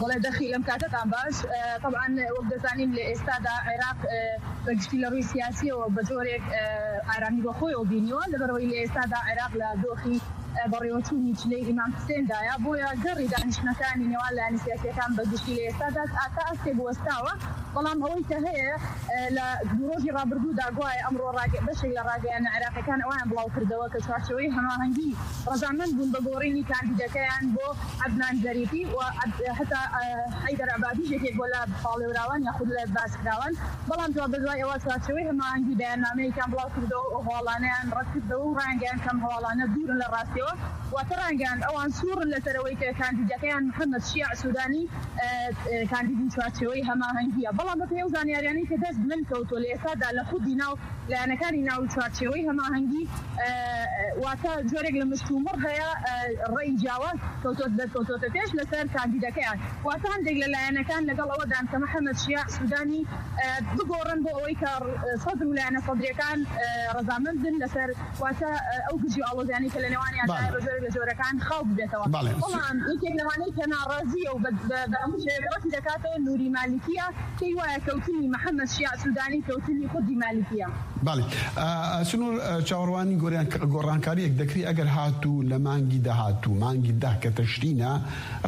بەڵێ، دەخی لەم کاتەتان باش. ئە، طبعاً وەک دەزانین لە ئێستادا عێراق، ئە، بە گشتی لە ڕووی سیاسیەوە بە جۆرێک، ئە، ئارامی بە خۆیەوە بینیوە، لەبەرەوەی لە ئێستادا عێراق لە دۆخی، ئە، بەڕێوەچوونی چلەی ئیمام حسێندایە، بۆیە گەڕی دانیشتنەکانی نێوان لایەنە سیاسیەکان بە گشتی لە ئێستادا تا ئاسێ بوەستاوە. بەڵام ئەوەی کە هەیە، ئە، لە دوو ڕۆژی ڕابردوودا گوایە ئەمڕۆ ڕاگە-، بەشێک لە ڕاگەیانە عێراقیەکان ئەویان بڵاو کردەوە کە چوارچێوەی هەماهەنگی ڕەزامەند بوون بە گۆڕینی کاندیدەکەیان بۆ عەدنان زەریفی و عەد-، هەتا، ئە، حەیدەر عەبادیش یەکێک بۆ لە پاڵێوراوان یاخود لە باسکراوان. بەڵام جواب بە دوای ئەوە چوارچێوەی هەماهەنگی بەیاننامەیەکیان بڵاو کردەوە و هەواڵانەیان ڕەت کردەوە و ڕایانگەیان کەم هەواڵانە دوورن لە ڕاستیەوە. واتە ڕایانگەیان ئەوان سوورن لەسەر ئەوەی کە کاندیدەکەیان محەممەد شیاع سوودانی، ئە، ئە، کاندیدی چوارچێوەی هەماهەنگیە. بەڵام بە پێی ئەو زانیاریانەی کە دەست من کەوتووە لە ئێستادا لە خودی ناو لایەنەکانی ناو چوارچێوەی هەماهەنگی، ئە، ئە، واتە جۆرێک لە مشت و مڕ هەیە، ئە، ڕێی جیاواز کەوتۆت-، دەرکەوتۆتە پێش لەسەر کاندیدەکەیان. واتە هەندێک لە لایەنەکان لەگەڵ ئەوەدان کە محەممەد شیاع سوودانی، ئە، بگۆڕن بۆ ئەوەی کە ڕ-، سەدر و لایەنە سەدریەکان، ئە، ڕەزامەند بن لەسەر، واتە، ئە، ئەو گژی ئاڵۆزیانەی کە لە نێوانیان بەڵێ. دایە بە جۆرێک لە جۆرەکان خاو ببێتەوە. بەڵێ. بەڵام یەکێک لەوانەی کە ناڕازیە و بە، بە، بە هەموو شێوەیەک ڕەتی دەکاتەوە نوری مالیکیە، پێی وایە کەوتنی محەممەد شیاع سوودانی کەوتنی خودی مالیکیە. بەڵێ. ئە، ئە، سنوور، ئە، چاوەڕوانی گۆریان-، گۆڕانکاریەک دەکری ئەگەر هاتوو لە مانگی داهاتوو، مانگی دە کە تەشرینە،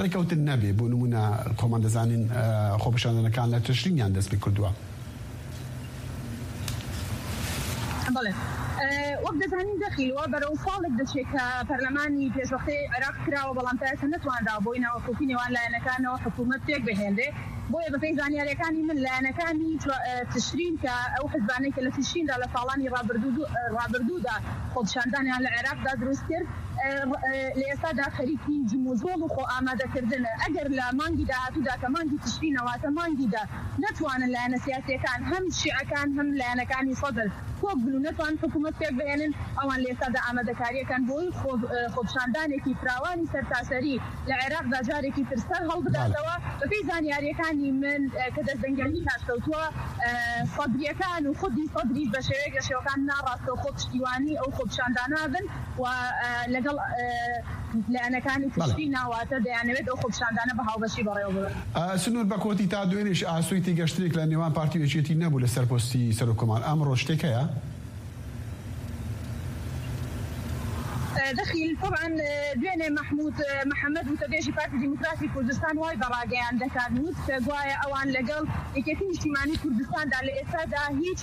ڕێکەوتن نەبێ. بۆ نمونە خۆمان دەزانین، ئە، خۆپیشاندانەکان لە تەشرینیان دەست پێ کردووە. بەڵێ. وەک دەزانین دەخیل وە بەرەو ساڵێک دەچێت کە پەرلەمانی پێشوەختەی عێراق کراوە، بەڵام تا ئێستا نەتوانرا بۆی ناوەکۆکی نێوان لایەنەکانەوە حکوومەت پێک بهێنرێ. بۆیە بەپێی زانیاریەکانی من لایەنەکانی تشرین کە ئەو حزبانەی کە لە تشریندا لە ساڵانی ڕابردوو ڕابردوودا خۆپیشاندانیان لە عێراقدا دروست کرد، لە ئێستادا خەریکی جموجۆڵ و خۆ ئامادەکردنە. ئەگەر لە مانگی داهاتوودا کە مانگی تشرینەواتە مانگی دە نەتوانن لایەنە سیاسیەکان هەم شیعەکان هەم لایەنەکانی سەدر کۆک بن و نەتوان حکوومەت پێک بهێنن، ئەوان لە ئێستادا ئامادەکاریەکان بۆی خۆ-، خۆپیشاندانێکی فراوانی سەرتاسەری لە عێراقدا جارێکی تر سەر هەڵبداتەوە. بەپێی زانیاریەکانی من کە دەستدەنگەری هاتکەوتووە، سەدریەکان و خودی سەدریش بە شێوەیەک لە شێوەکان ناڕاستەوخۆ پشتیوانی ئەو خۆپیشاندانە بن و لەگەڵ لایەنەکانی تشرین ناواتە دەیانەوێت ئەو خۆپیشاندانە بە هاوبەشی بەڕێوە ببن. سنوور، بە کۆتی تا دوێنێش ئاسووی تێگەشتنێک لە نێوان پارتی و یەکێتی نەبوو لەسەر پۆستی سەرۆکۆمار. ئەمڕۆ شتێک هەیە؟ دەخیل طبعا دوێنێ مەحموود محەممەد وتەبێژی پارتی دیموکراتی کوردستان وای بەڕاگەیان دەکات، وت کە گوایە ئەوان لەگەڵ یەکێتی نیشتیمانی کوردستاندا لە ئێستادا هیچ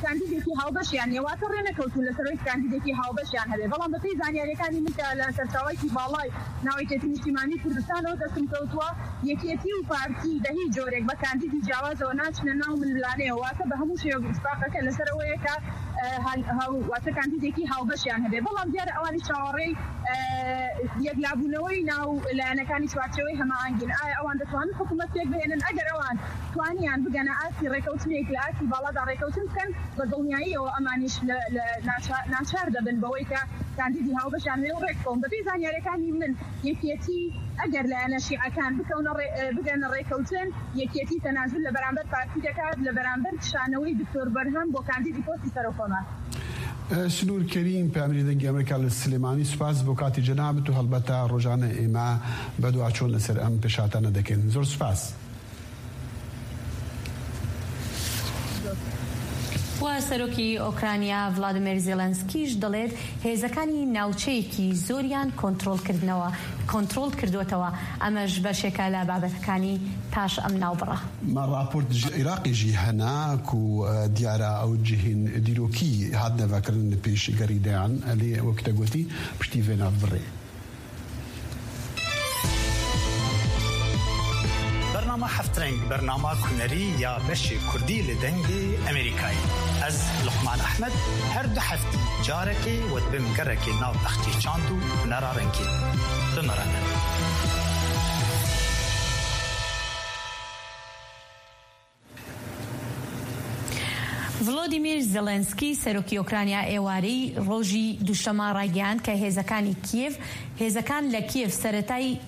کاندیدێکی هاوبەشیان نیە، واتە ڕێنەکەوتون لەسەر ئەوەی کاندیدێکی هاوبەشیان هەبێ. بەڵام بەپێی زانیاریەکانی من کە لە سەرچاوەیەکی باڵای ناوەکێتی نیشتیمانی کوردستانەوە دەستم کەوتووە، یەکێتی و پارتی بە هیچ جۆرێک بە کاندیدی جیاوازەوە ناچنە ناو ململانەیەوە، واتە بە هەموو شێوە اتفاقەکە لەسەر ئەوەیە کە واتە کاندیدێکی هاوبەشیان هەبێ. بەڵام دیارە ئەوانی چاوەڕێی یەکلابوونەوەی ناو لایەنەکانی چوارچەوەی هەماهەنگین. ئایا ئەوان دەتوانن حکوومەت پێک بهێنن؟ ئەگەر ئەوان توانیان بگەنە ئاستی ڕێکەوتنێک لە ئاستی باڵادا ڕێکەوتن بکەن، بە دڵنیاییەوە ئەمانیش لە ناچار دەبن بەوەی کە کاندیدی هاوبەشیان هەیە و ڕێک بکەون. بەپێی زانیاریەکانی من یەکێتی ئەگەر لایەنە شیعەکان بکەونە بگەنە ڕێکەوتن، یەکێتی تەنازول لە بەرامبەر پارتی دەکات لە بەرامبەر کشانەوەی دکتۆر بەرهەم بۆ کاندیدی پۆستی سەرۆکۆمار. سنوور کەریم، پەیامنێری دەنگی ئەمریکا لە سلێمانی، سوپاس بۆ کاتی جەنابت و هەڵبەتە ڕۆژانە ئێمە بە دوا چۆن لەسەر ئەم پێشهاتانە دەکەین. زۆر سوپاس. و سەرۆکی ئۆکرانیا ڤلادیمیر زێلەنسکیش دەڵێت هێزەکانی ناوچەیەکی زۆریان کۆنترۆل کردنەوە، کۆنترۆل کردوتەوە. ئەمەش بەشێکە لە بابەتەکانی پاش ئەم ناوبڕە. ما راپۆرت ji Iraqê jî hene ku, e, diyara ew cihên dîrokî hatine vekirin li pêşgerî deyan. Lê wek te gotî, piştî vê navbirê. Bernama Heft Reng, bernama kunerî ya beşê kurdî li Dengê Emerîkayê. Ez, Luqman Ehmed, her du heftî carekê we dibim gerekê nav bexçê çand û hunera rengê. Bi me re ne. Volodymyr Zelensky, serokî Ukrayna, êwarî rojî duşema ragihand ke hêzekani Kiev, hêzekan le Kiev seretay,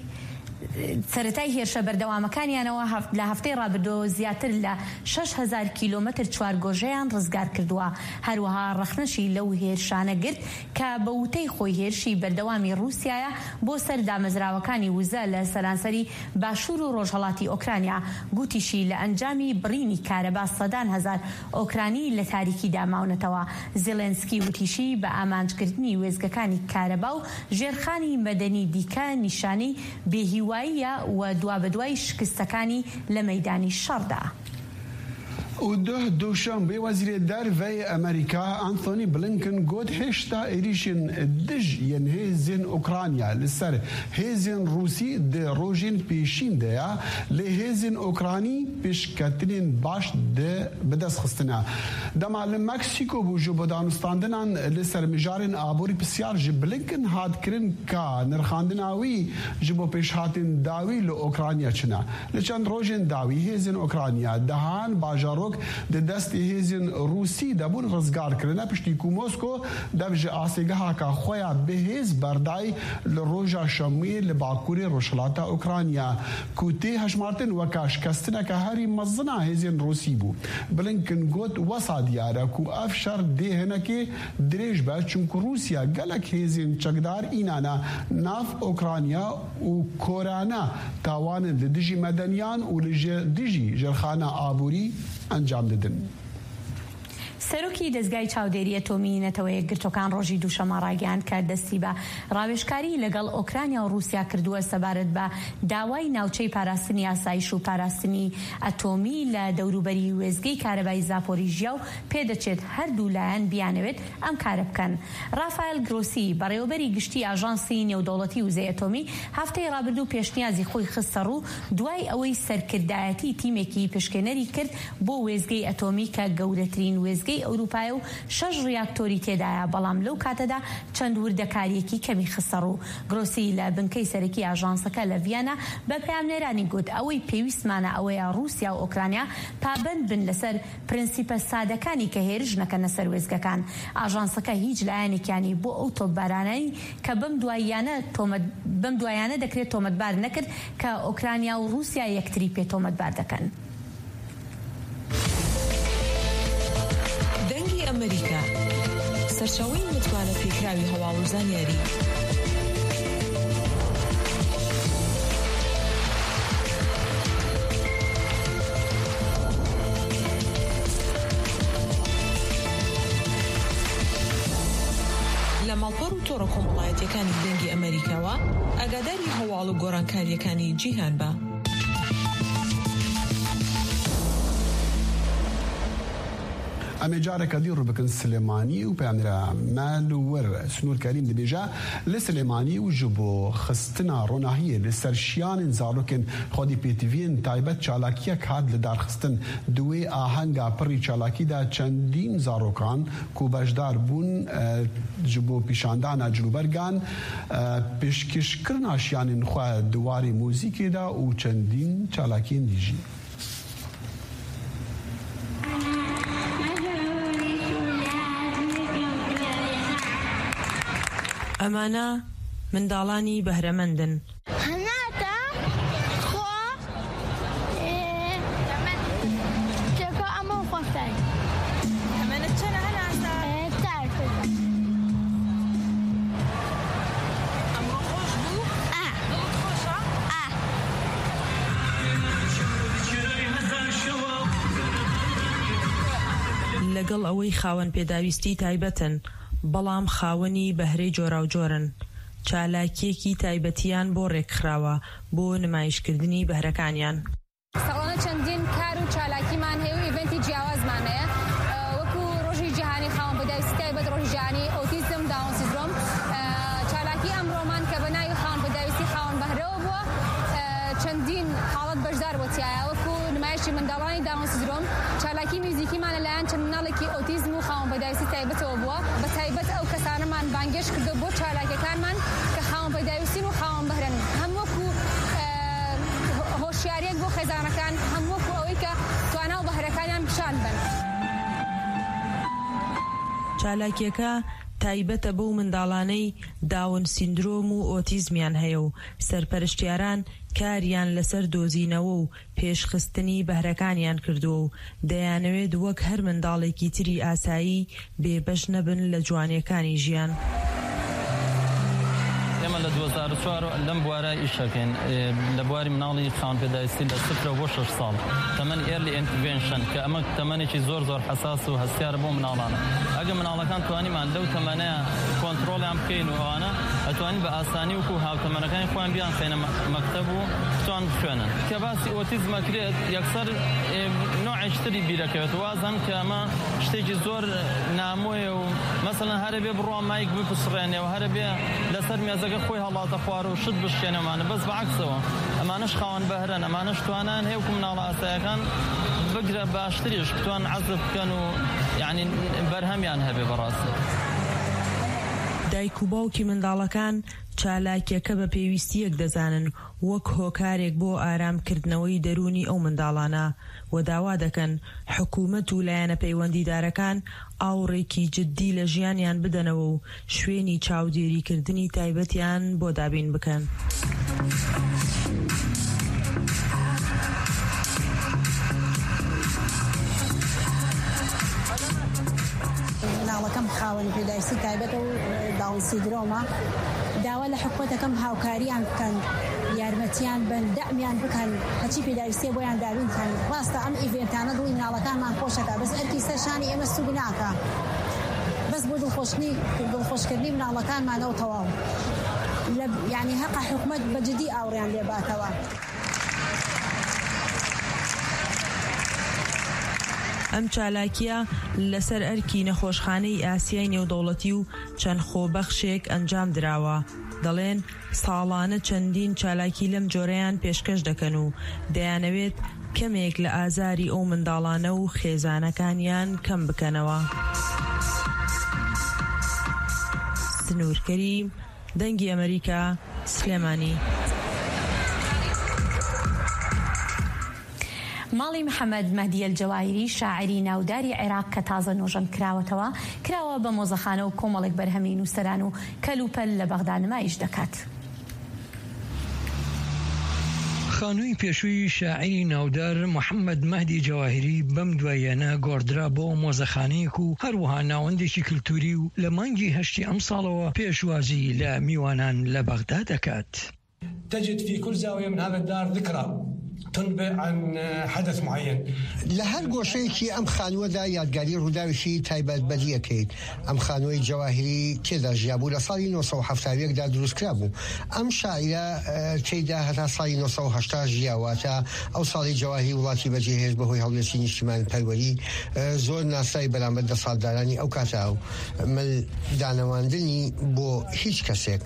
seretay hêrşe berdewamekaniyan'ewa heft-, le hefteyê rabido ziyatir le şeş hezar kilometr çuargojeyan rizgar kirduwa. Her wiha rexne jî lew hêrşane girt ke be wutey xwe hêrşî berdewamî Rûsyaya bo ser damezrawekanî wize le seranserî Başûr û rojhelatî Okrayna. Gotîşî li encamî birînî kareba sedan hezar Okranî li tarîkî de mawnetewa. Zelensky witîşî bi amanckirdinî wêzgekanî kareba û jêrxanî medenî dîke nîşanî bêhîwayî ye we dua bi duayî şikistekanî li meydanî şer de. Û duh Duşenbê Wezîrê Derve yê Amerîka Antony Blinken got, hêşta êrîşên dij yên hêzên Ukrayna li ser hêzên Rûsî di rojên pêşîn de ye, lê hêzên Ukranî pêşketinên baş di bi dest xistine. Dema li Meksîko bû ji bo danûstandinan li ser mijarên aborî pisyar ji Blinken hat kirin ka nirxandina wî ji bo pêşhatên dawî li Ukrayna çi ne. Li çend rojên dawî hêzên Ukrayna dehan bajarok di destê hêzên Rûsî de bûn rizgar kirine, piştî ku Mosko dev ji astêgehaka xwe ya bi hêz berdayî li roja Şemiyê li bakurê rojhilata Ukrayna, ku tê hejmartin weka şikestineke herî mezin a hêzên Rûsî bû. Blinken got, wesa diyar e ku ev şer dê hinekê dirêj be, çimku Rûsya gelek hêzên çekdar înane nav Ukrayna û korane tawanin li dijî medeniyan û li ji dijî jêrxana aborî encam didin. سەرۆکی دەزگای چاودێری ئەتۆمی نەتەوە یەکگرتوەکان ڕۆژی دووشەممە ڕایگەیاند کە دەستی بە ڕاوێژکاری لەگەڵ ئۆکرانیا و رووسیا کردووە سەبارەت بە داوای ناوچەی پاراستنی ئاسایش و پاراستنی ئەتۆمی لە دەوروبەری وێزگەی کارەبای زاپۆریژیا و پێدەچێت هەردوو لایەن بیانەوێت ئەم کارە بکەن. ڕافائل گرۆسی، بەڕێوەبەری گشتی ئاژانسی نێودەوڵەتی وزەی ئەتۆمی، هەفتەی ڕابردوو پێشنیازی خۆی خستە ڕوو دوای ئەوەی سەرکردایەتی تیمێکی پشکێنەری کرد بۆ وێزگەی ئەتۆمی کە گەورەترین وێزگەی ئەوروپایە و شەش ڕیاکتۆری تێدایە، بەڵام لەو کاتەدا چەند وردەکاریەکی کەمی خستە ڕوو. گرۆسی لە بنکەی سەرەکی ئاژانسەکە لە ڤیانا بە پەیامنێرانی گوت ئەوەی پێویستمانە ئەوەیە رووسیا و ئۆکرانیا پابەند بن لەسەر پرنسیپە سادەکانی کە هێرش نەکەنە سەر وێزگەکان. ئاژانسەکە هیچ لایەنێکیانی بۆ ئەو تۆپبارانەی کە بەم دواییانە تۆمەت-، بەم دوایانە دەکرێت تۆمەتبار نەکرد کە ئۆکرانیا و رووسیا یەکتری پێ تۆمەتبار دەکەن. دەنگی ئەمریکا، سەرچاوەی متمانە پێکراوی هەواڵ و زانیاری. لە ماڵپەڕ و تۆڕە کۆمەڵایەتیەکانی دەنگی ئەمریکاوە ئاگاداری هەواڵ و گۆڕانکاریەکانی جیهان بە. ئەمێ جارێکە دی ڕوو بکن سلێمانی و پەیامنێرە مەل و وەر سنوور کەریم دەبێژە لە سلێمانی و ji bo xistina ronahiyê li ser şiyanên zarokên xwedî pêtiviyên taybet çalakiyek hat li darxistin. Di wê ahenga pirî çalakî de çendîn zarokan ku beşdar bûn, e, ji bo pîşandana cilûbergan, e, pêşkêşkirina şiyanên xwe di warê muzîkê de û çendîn çalakiyên dî jî. ئەمانە منداڵانی بەهرەمەندن. هەناتا خۆ، ئێ، تێکۆ ئەمە خۆشای. ئەمەنە چەنە هەناسە؟ ئێ، تار. ئەمڕۆ خۆش بوو؟ ئا. دڵت خۆشە؟ ئا. لەگەڵ ئەوەی خاوەن پێداویستی تایبەتن، بەڵام خاوەنی بەهرەی جۆراوجۆرن. چالاکیەکی تایبەتیان بۆ ڕێکخراوە بۆ نمایشکردنی بەهرەکانیان. ساڵانە چەندین کار و چالاکیمان هەیە و ئیڤنتی جیاوازمان هەیە، ئە، وەکو ڕۆژی جیهانی خاوەن پێداویستی تایبەت، ڕۆژی جیهانی ئۆتیزم، داون سیندرۆم. ئە، چالاکی ئەمڕۆمان کە بە ناوی خاوەن پێداویستی خاوەن بەهرەوە بووە، ئە، چەندین حاڵەت بەشدار بۆتیایە، وەکو نمایشی منداڵانی داون سیندرۆم، چالاکی میوزیکیمان لەلایەن چەند مناڵێکی ئۆتیزم و خاوەن پێداویستی تایبەتەوە بووە. بە تایبەت ئەو کەسانەمان بانگێش کردو بۆ چالاکیەکانمان کە خاوەن پێداویستین و خاوەن بەهرەن، هەم وەکو، ئە، هۆ-، هۆشیاریەک بۆ خێزانەکان، هەم وەکو ئەوەی کە توانا و بەهرەکانیان پیشان بن. چالاکیەکە تایبەتە بەو منداڵانەی داون سیندرۆم و ئۆتیزمیان هەیە و سەرپەرشتیاران کاریان لەسەر دۆزینەوە و پێشخستنی بەهرەکانیان کردووە و دەیانەوێت وەک هەر منداڵێکی تری ئاسایی بێبەش نەبن لە جوانیەکانی ژیان. ئێمە لە دوو هەزار و چوار لەم بوارە ئیش دەکەین. ئێ، لە بواری مناڵی خاوەن پێداویستی لە سفرە بۆ شەش ساڵ. تەمەن early intervention، کە ئەمە تەمەنێکی زۆر زۆر حەساس و هەستیارە بۆ مناڵانە. ئەگە مناڵەکان توانیمان لەو تەمەنەیە کۆنترۆلیان بکەین و ئەوانە، ئەتوانین بە ئاسانی وەکو هاوتەمەنەکانی خۆیان بیان خەینە مە-، مەکتەب و بتوان بخوێنن. کە باسی ئۆتیزمە کرێت، یەکسەر، ئێ، نوعێکی تری بیرەکەوێت. وازم کە ئەمە شتێکی زۆر نامۆیە و مەسەلەن هەرە بێ بڕوا مایک بپسڕێنێ و هەرە بێ لەسەر مێزەکە خۆی هەڵاتە خوار و شت بشکێنێ. ئەمانە بەس بەعکسەوە، ئەمانەش خاوەن بەهرەن، ئەمانەش توانان هەیە وەکو مناڵە ئاسایەکان بگرە باشتریش بتوان عەزف بکەن و یعنی بەرهەمیان هەبێ بەڕاستی. دایک و باوکی منداڵەکان چالاکیەکە بە پێویستیەک دەزانن وەک هۆکارێک بۆ ئارامکردنەوەی دەروونی ئەو منداڵانە و داوا دەکەن حکوومەت و لایەنە پەیوەندیدارەکان ئاوڕێکی جددی لە ژیانیان بدەنەوە و شوێنی چاودێریکردنی تایبەتیان بۆ دابین بکەن. مناڵەکەم خاوەنی پێداویستی تایبەتە و داون سیندرۆمە. داوا لە حکومەتەکەم هاوکاریان بکەن، یارمەتی یان بن دەعمیان بکەن، هەچی پێداویستیە بۆیان دابین بکەن. ڕاستە ئەم ئیڤێنتانە دڵی مناڵەکانمان خۆشەکە، بەس ئەرکی سەر شانی ئێمە سووک ناکە. بەس بۆ دڵخۆشکردنی، دڵخۆشکردنی مناڵەکانمانەوە تەواو. لە، یعنی هەقە حکومەت بە جدی ئاوڕیان لێباتەوە. ئەم چالاکیە لەسەر ئەرکی نەخۆشخانەی ئاسیای نێودەوڵەتی و چەند خۆبەخشێک ئەنجام دراوە. دەڵێن ساڵانە چەندین چالاکی لەم جۆرەیان پێشکەش دەکەن و دەیانەوێت کەمێک لە ئازاری ئەو منداڵانە و خێزانەکانیان کەم بکەنەوە. سنوور کەریم، دەنگی ئەمریکا، سلێمانی. ماڵی محەممەد مەهدیەل جەواهیری، شاعری ناوداری عێراق کە تازە نۆژەن کراوەتەوە، کراوە بە مۆزەخانە و کۆمەڵێک بەرهەمی نووسەران و کەلوپەل لە بەغدا نمایش دەکات. خانووی پێشووی شاعری ناودار محەممەد مەهدی جەواهیری بەم دواییانە گۆڕدرا بۆ مۆزەخانەیەک و هەروەها ناوەندێکی کلتوری و لە مانگی هەشتی ئەم ساڵەوە پێشوازی لە میوانان لە بەغدا دەکات. تجد في كل زاوية من هذا الدار ذكرى تنبئ عن حدث معين. لە هەر گۆشەیەکی ئەم خانووەدا یادگاری ڕووداوێکی تایبەت بەدیەکەیت. ئەم خانووەی جەواهیری تێدا ژیابوو، لە ساڵی نۆ سەد و حەفتا و یەکدا دروست کرابوو. ئەم شاعیرە، ئە، تێیدا هەتا ساڵی نۆ سەد و هەشتا ژیاواتە ئەو ساڵی جەواهیری وڵاتی بەجێهێشت بەهۆی هەڵوێستی نیشتیمان پەروەری، ئە، زۆر ناسرای بەرامبەر دەسەڵاتدارانی ئەو کاتە و مل دانەواندنی بۆ هیچ کەسێک.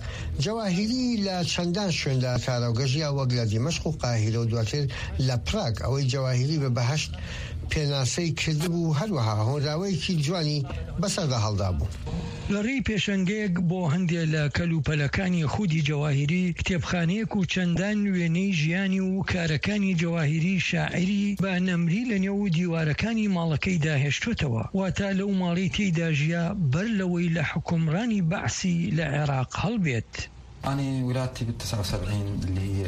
جەواهیری لە چەندان شوێندا کاراوگە ژیا، وەک لە دیمەشق و قاهیرە و دواتر لە پراگ. ئەوەی جەواهیری بە بەهەشت پێناسەی کردبوو، هەروەها هۆنراوەیەکی جوانی بەسەردا هەڵدابوو. لە ڕێی پێشەنگەیەک بۆ هەندێک لە کەلوپەلەکانی خودی جەواهیری، کتێبخانەیەک و چەندان وێنەی ژیانی و کارەکانی جەواهیری شاعیری بە نەمری لە نێو دیوارەکانی ماڵەکەی داهێشتوتەوە، واتە لەو ماڵەی تێیدا ژیا بەر لەوەی لە حکومڕانی بەعسی لە عێراق هەڵبێت. أنا ولادتي بال تسعة وسبعين اللي هي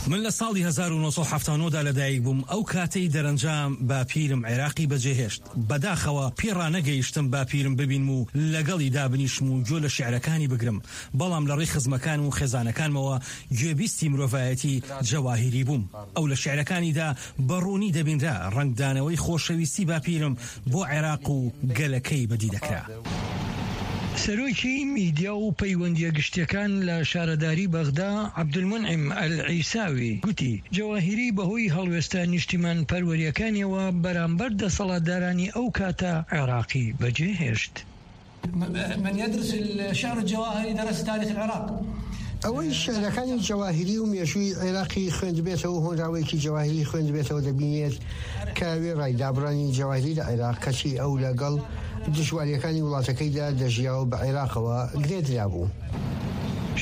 من لە ساڵی هەزار و نۆ سەد و حەفتا و نۆ دا لەدایک بووم، ئەو کاتەی دەرەنجام باپیرم عێراقی بەجێهێشت. بەداخەوە پێ ڕانەگەیشتم باپیرم ببینم و لەگەڵی دابنیشم و گوێ لە شیعرەکانی بگرم، بەڵام لە ڕێی خزمەکان و خێزانەکانمەوە گوێبیستی مرۆڤایەتی جەواهیری بووم. ئەو لە شیعرەکانیدا بە ڕوونی دەبینرا، ڕەنگدانەوەی خۆشەویستی باپیرم بۆ عێراق و گەلەکەی بەدی دەکرا. سەرۆکی میدیا و پەیوەندیە گشتیەکان لە شارەداری بەغدا، عەبدولمونعیم ئەلعیساوی، گوتی، جەواهیری بەهۆی هەڵوێستە نیشتیمان پەروەریەکانیەوە بەرامبەر دەسەڵاتدارانی ئەو کاتە عێراقی بەجێهێشت. من يدرس الشعر الجواهري درس تاريخ العراق. ئەوەی شعرەکانی جەواهیری و مێژووی عێراقی خوێندبێتەوە، هۆنراوەیەکی جەواهیری خوێندبێتەوە، دەبینێت کە وێڕای دابڕانی جەواهیری لە عێراق، کەچی ئەو لەگەڵ دژواریەکانی وڵاتەکەیدا دەژیا و بە عێراقەوە گرێدرابوو.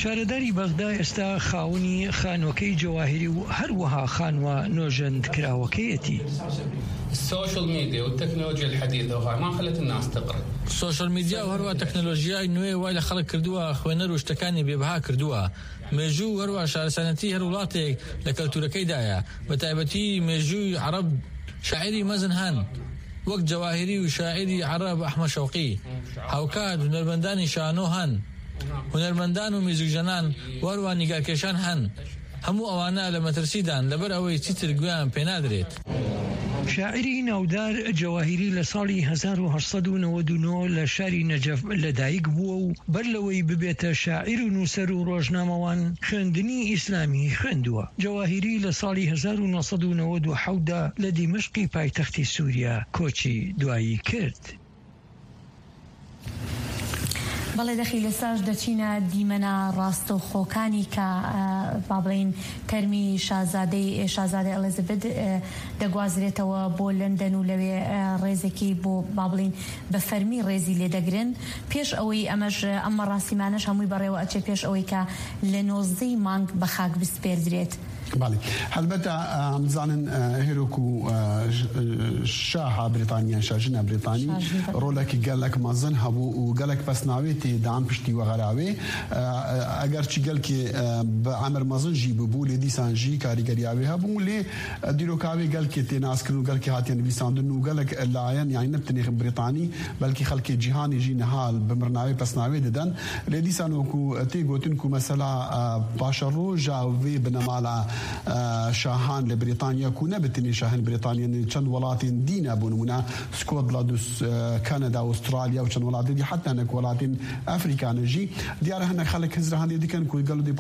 شارەداری بەغدا ئێستا خاوەنی خانووەکەی جەواهیری و هەروەها خانووە نۆژەندکراوەکەیەتی. السوشيال ميديا والتكنولوجيا الحديثة وهاي ما خلت الناس تقرأ. سوشیال میدیا و هەروە تەکنۆلۆژیای نوێ وای لە خەڵک کردووە خوێنەر و شتەکانی بێبها کردووە. مێژوو و هەروە شارستانەتی هەر وڵاتێک لە کەلتورەکەیدایە، بە تایبەتی مێژووی عەرەب. شاعیری مەزن هەن، وەک جەواهیری و شاعیری عەرەب ئەحمەد شەوقی. هاوکات هونەرمەندانی شانۆ هەن، هونەرمەندان و میزیکژەنان و هەروە نیگارکێشان هەن. هەموو ئەوانە لە مەترسیدان، لەبەر ئەوەی چیتر گوێیان پێنادرێت. شاعیری ناودار جەواهیری لە ساڵی هەزار و هەشت سەد و نەوەد و نۆ لە شاری نەجەف لەدایک بووە و بەر لەوەی ببێتە شاعیر و نووسەر و ڕۆژنامەوان، خوێندنی ئیسلامی خوێندووە. جەواهیری لە ساڵی هەزار و نۆ سەد و نەوەد و حەوت دا لە دیمەشقی پایتەختی سووریا کۆچی دوایی کرد. بەڵێ دەخی لە ساش دەچینە دیمەنە ڕاستەوخۆکانی کە، ئە، با بڵێن تەرمی شازادەی، شازادە ئەلیزابت، ئە، دەگوازرێتەوە بۆ لەندەن و لەوێ، ئە، ڕێزێکی بۆ با بڵێن بە فەرمی ڕێزی لێدەگرن. پێش ئەوەی ئەمەش، ئەم مەڕاسیمانەش هەمووی بەڕێوە ئەچێ پێش ئەوەی کە لە نۆزدەی مانگ بە خاک بسپێردرێت. بەڵێ. هەلبەتە، ئە، ئەم زانن، ئە، هێرۆک و، ئە، ژ-، ئە، Şaha Brîtanî yan şajina Brîtanî rolekî gelek mezin hebû û gelek pesnavê tê dan piştî we xerawê. E, e, eger çi gelkê, e, bi emir mezin jî bûbû, lê dîsan jî karîgeriya wê hebû. Lê, e, dîroka wê gelkê tê naskirin û gelkê hatiye nivîsandin û gelek layen, yanî ne bi tenê Brîtanî, belkî xelkê cîhanê jî niha bi mirina wê pesnavê didin. Lê dîsan wekû tê gotin ku mesela, e, paşeroja vê binemala, e, şahan li Brîtanya, ku ne bi tenê şahên Brîtanya, ne çend welatên dî ne, bo nimûne Scotland û, e, Kanada, Australya û çend welatên dî, heta hinek welatên Afrika ne jî. Diyar e hinek xelk hizrihandê dikin ku gelo dê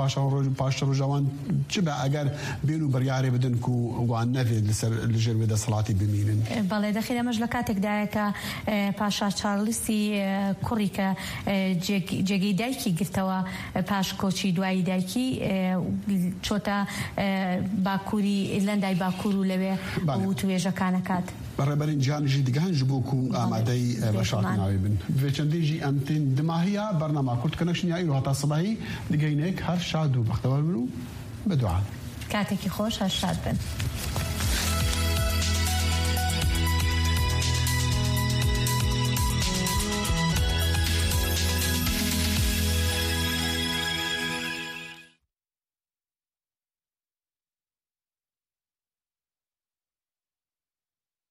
paşeroja wan çi be eger bên û biryarê bidin ku wan nevê li ser, li jêr wê desthilatî bimînin. بەڵێ، دەخیر ئەمەش لە کاتێکدایە کە، ئە، پاشا چارلسی، ئە، کوڕی کە، ئە، جێگ-، جێگەی دایکی گرتەوە، ئە، پاش کۆچی دوایی دایکی، ئە، چۆتە، ئە، باکووری ئیرلەندای باکوور و لەوێ بەڵێ. وتوێژەکانە کات. ڕێبەرین جیهان ژی دگەهن ji bo ku ئامادەی، ئە، بەشارتناوی بن. Vê çendê jî em tên dimahiya bernama Kurd Connection ya îro heta sibahî digeynek. Her şad û bextewar bin û bi dua. کاتێکی خۆش، هەر شاد بن.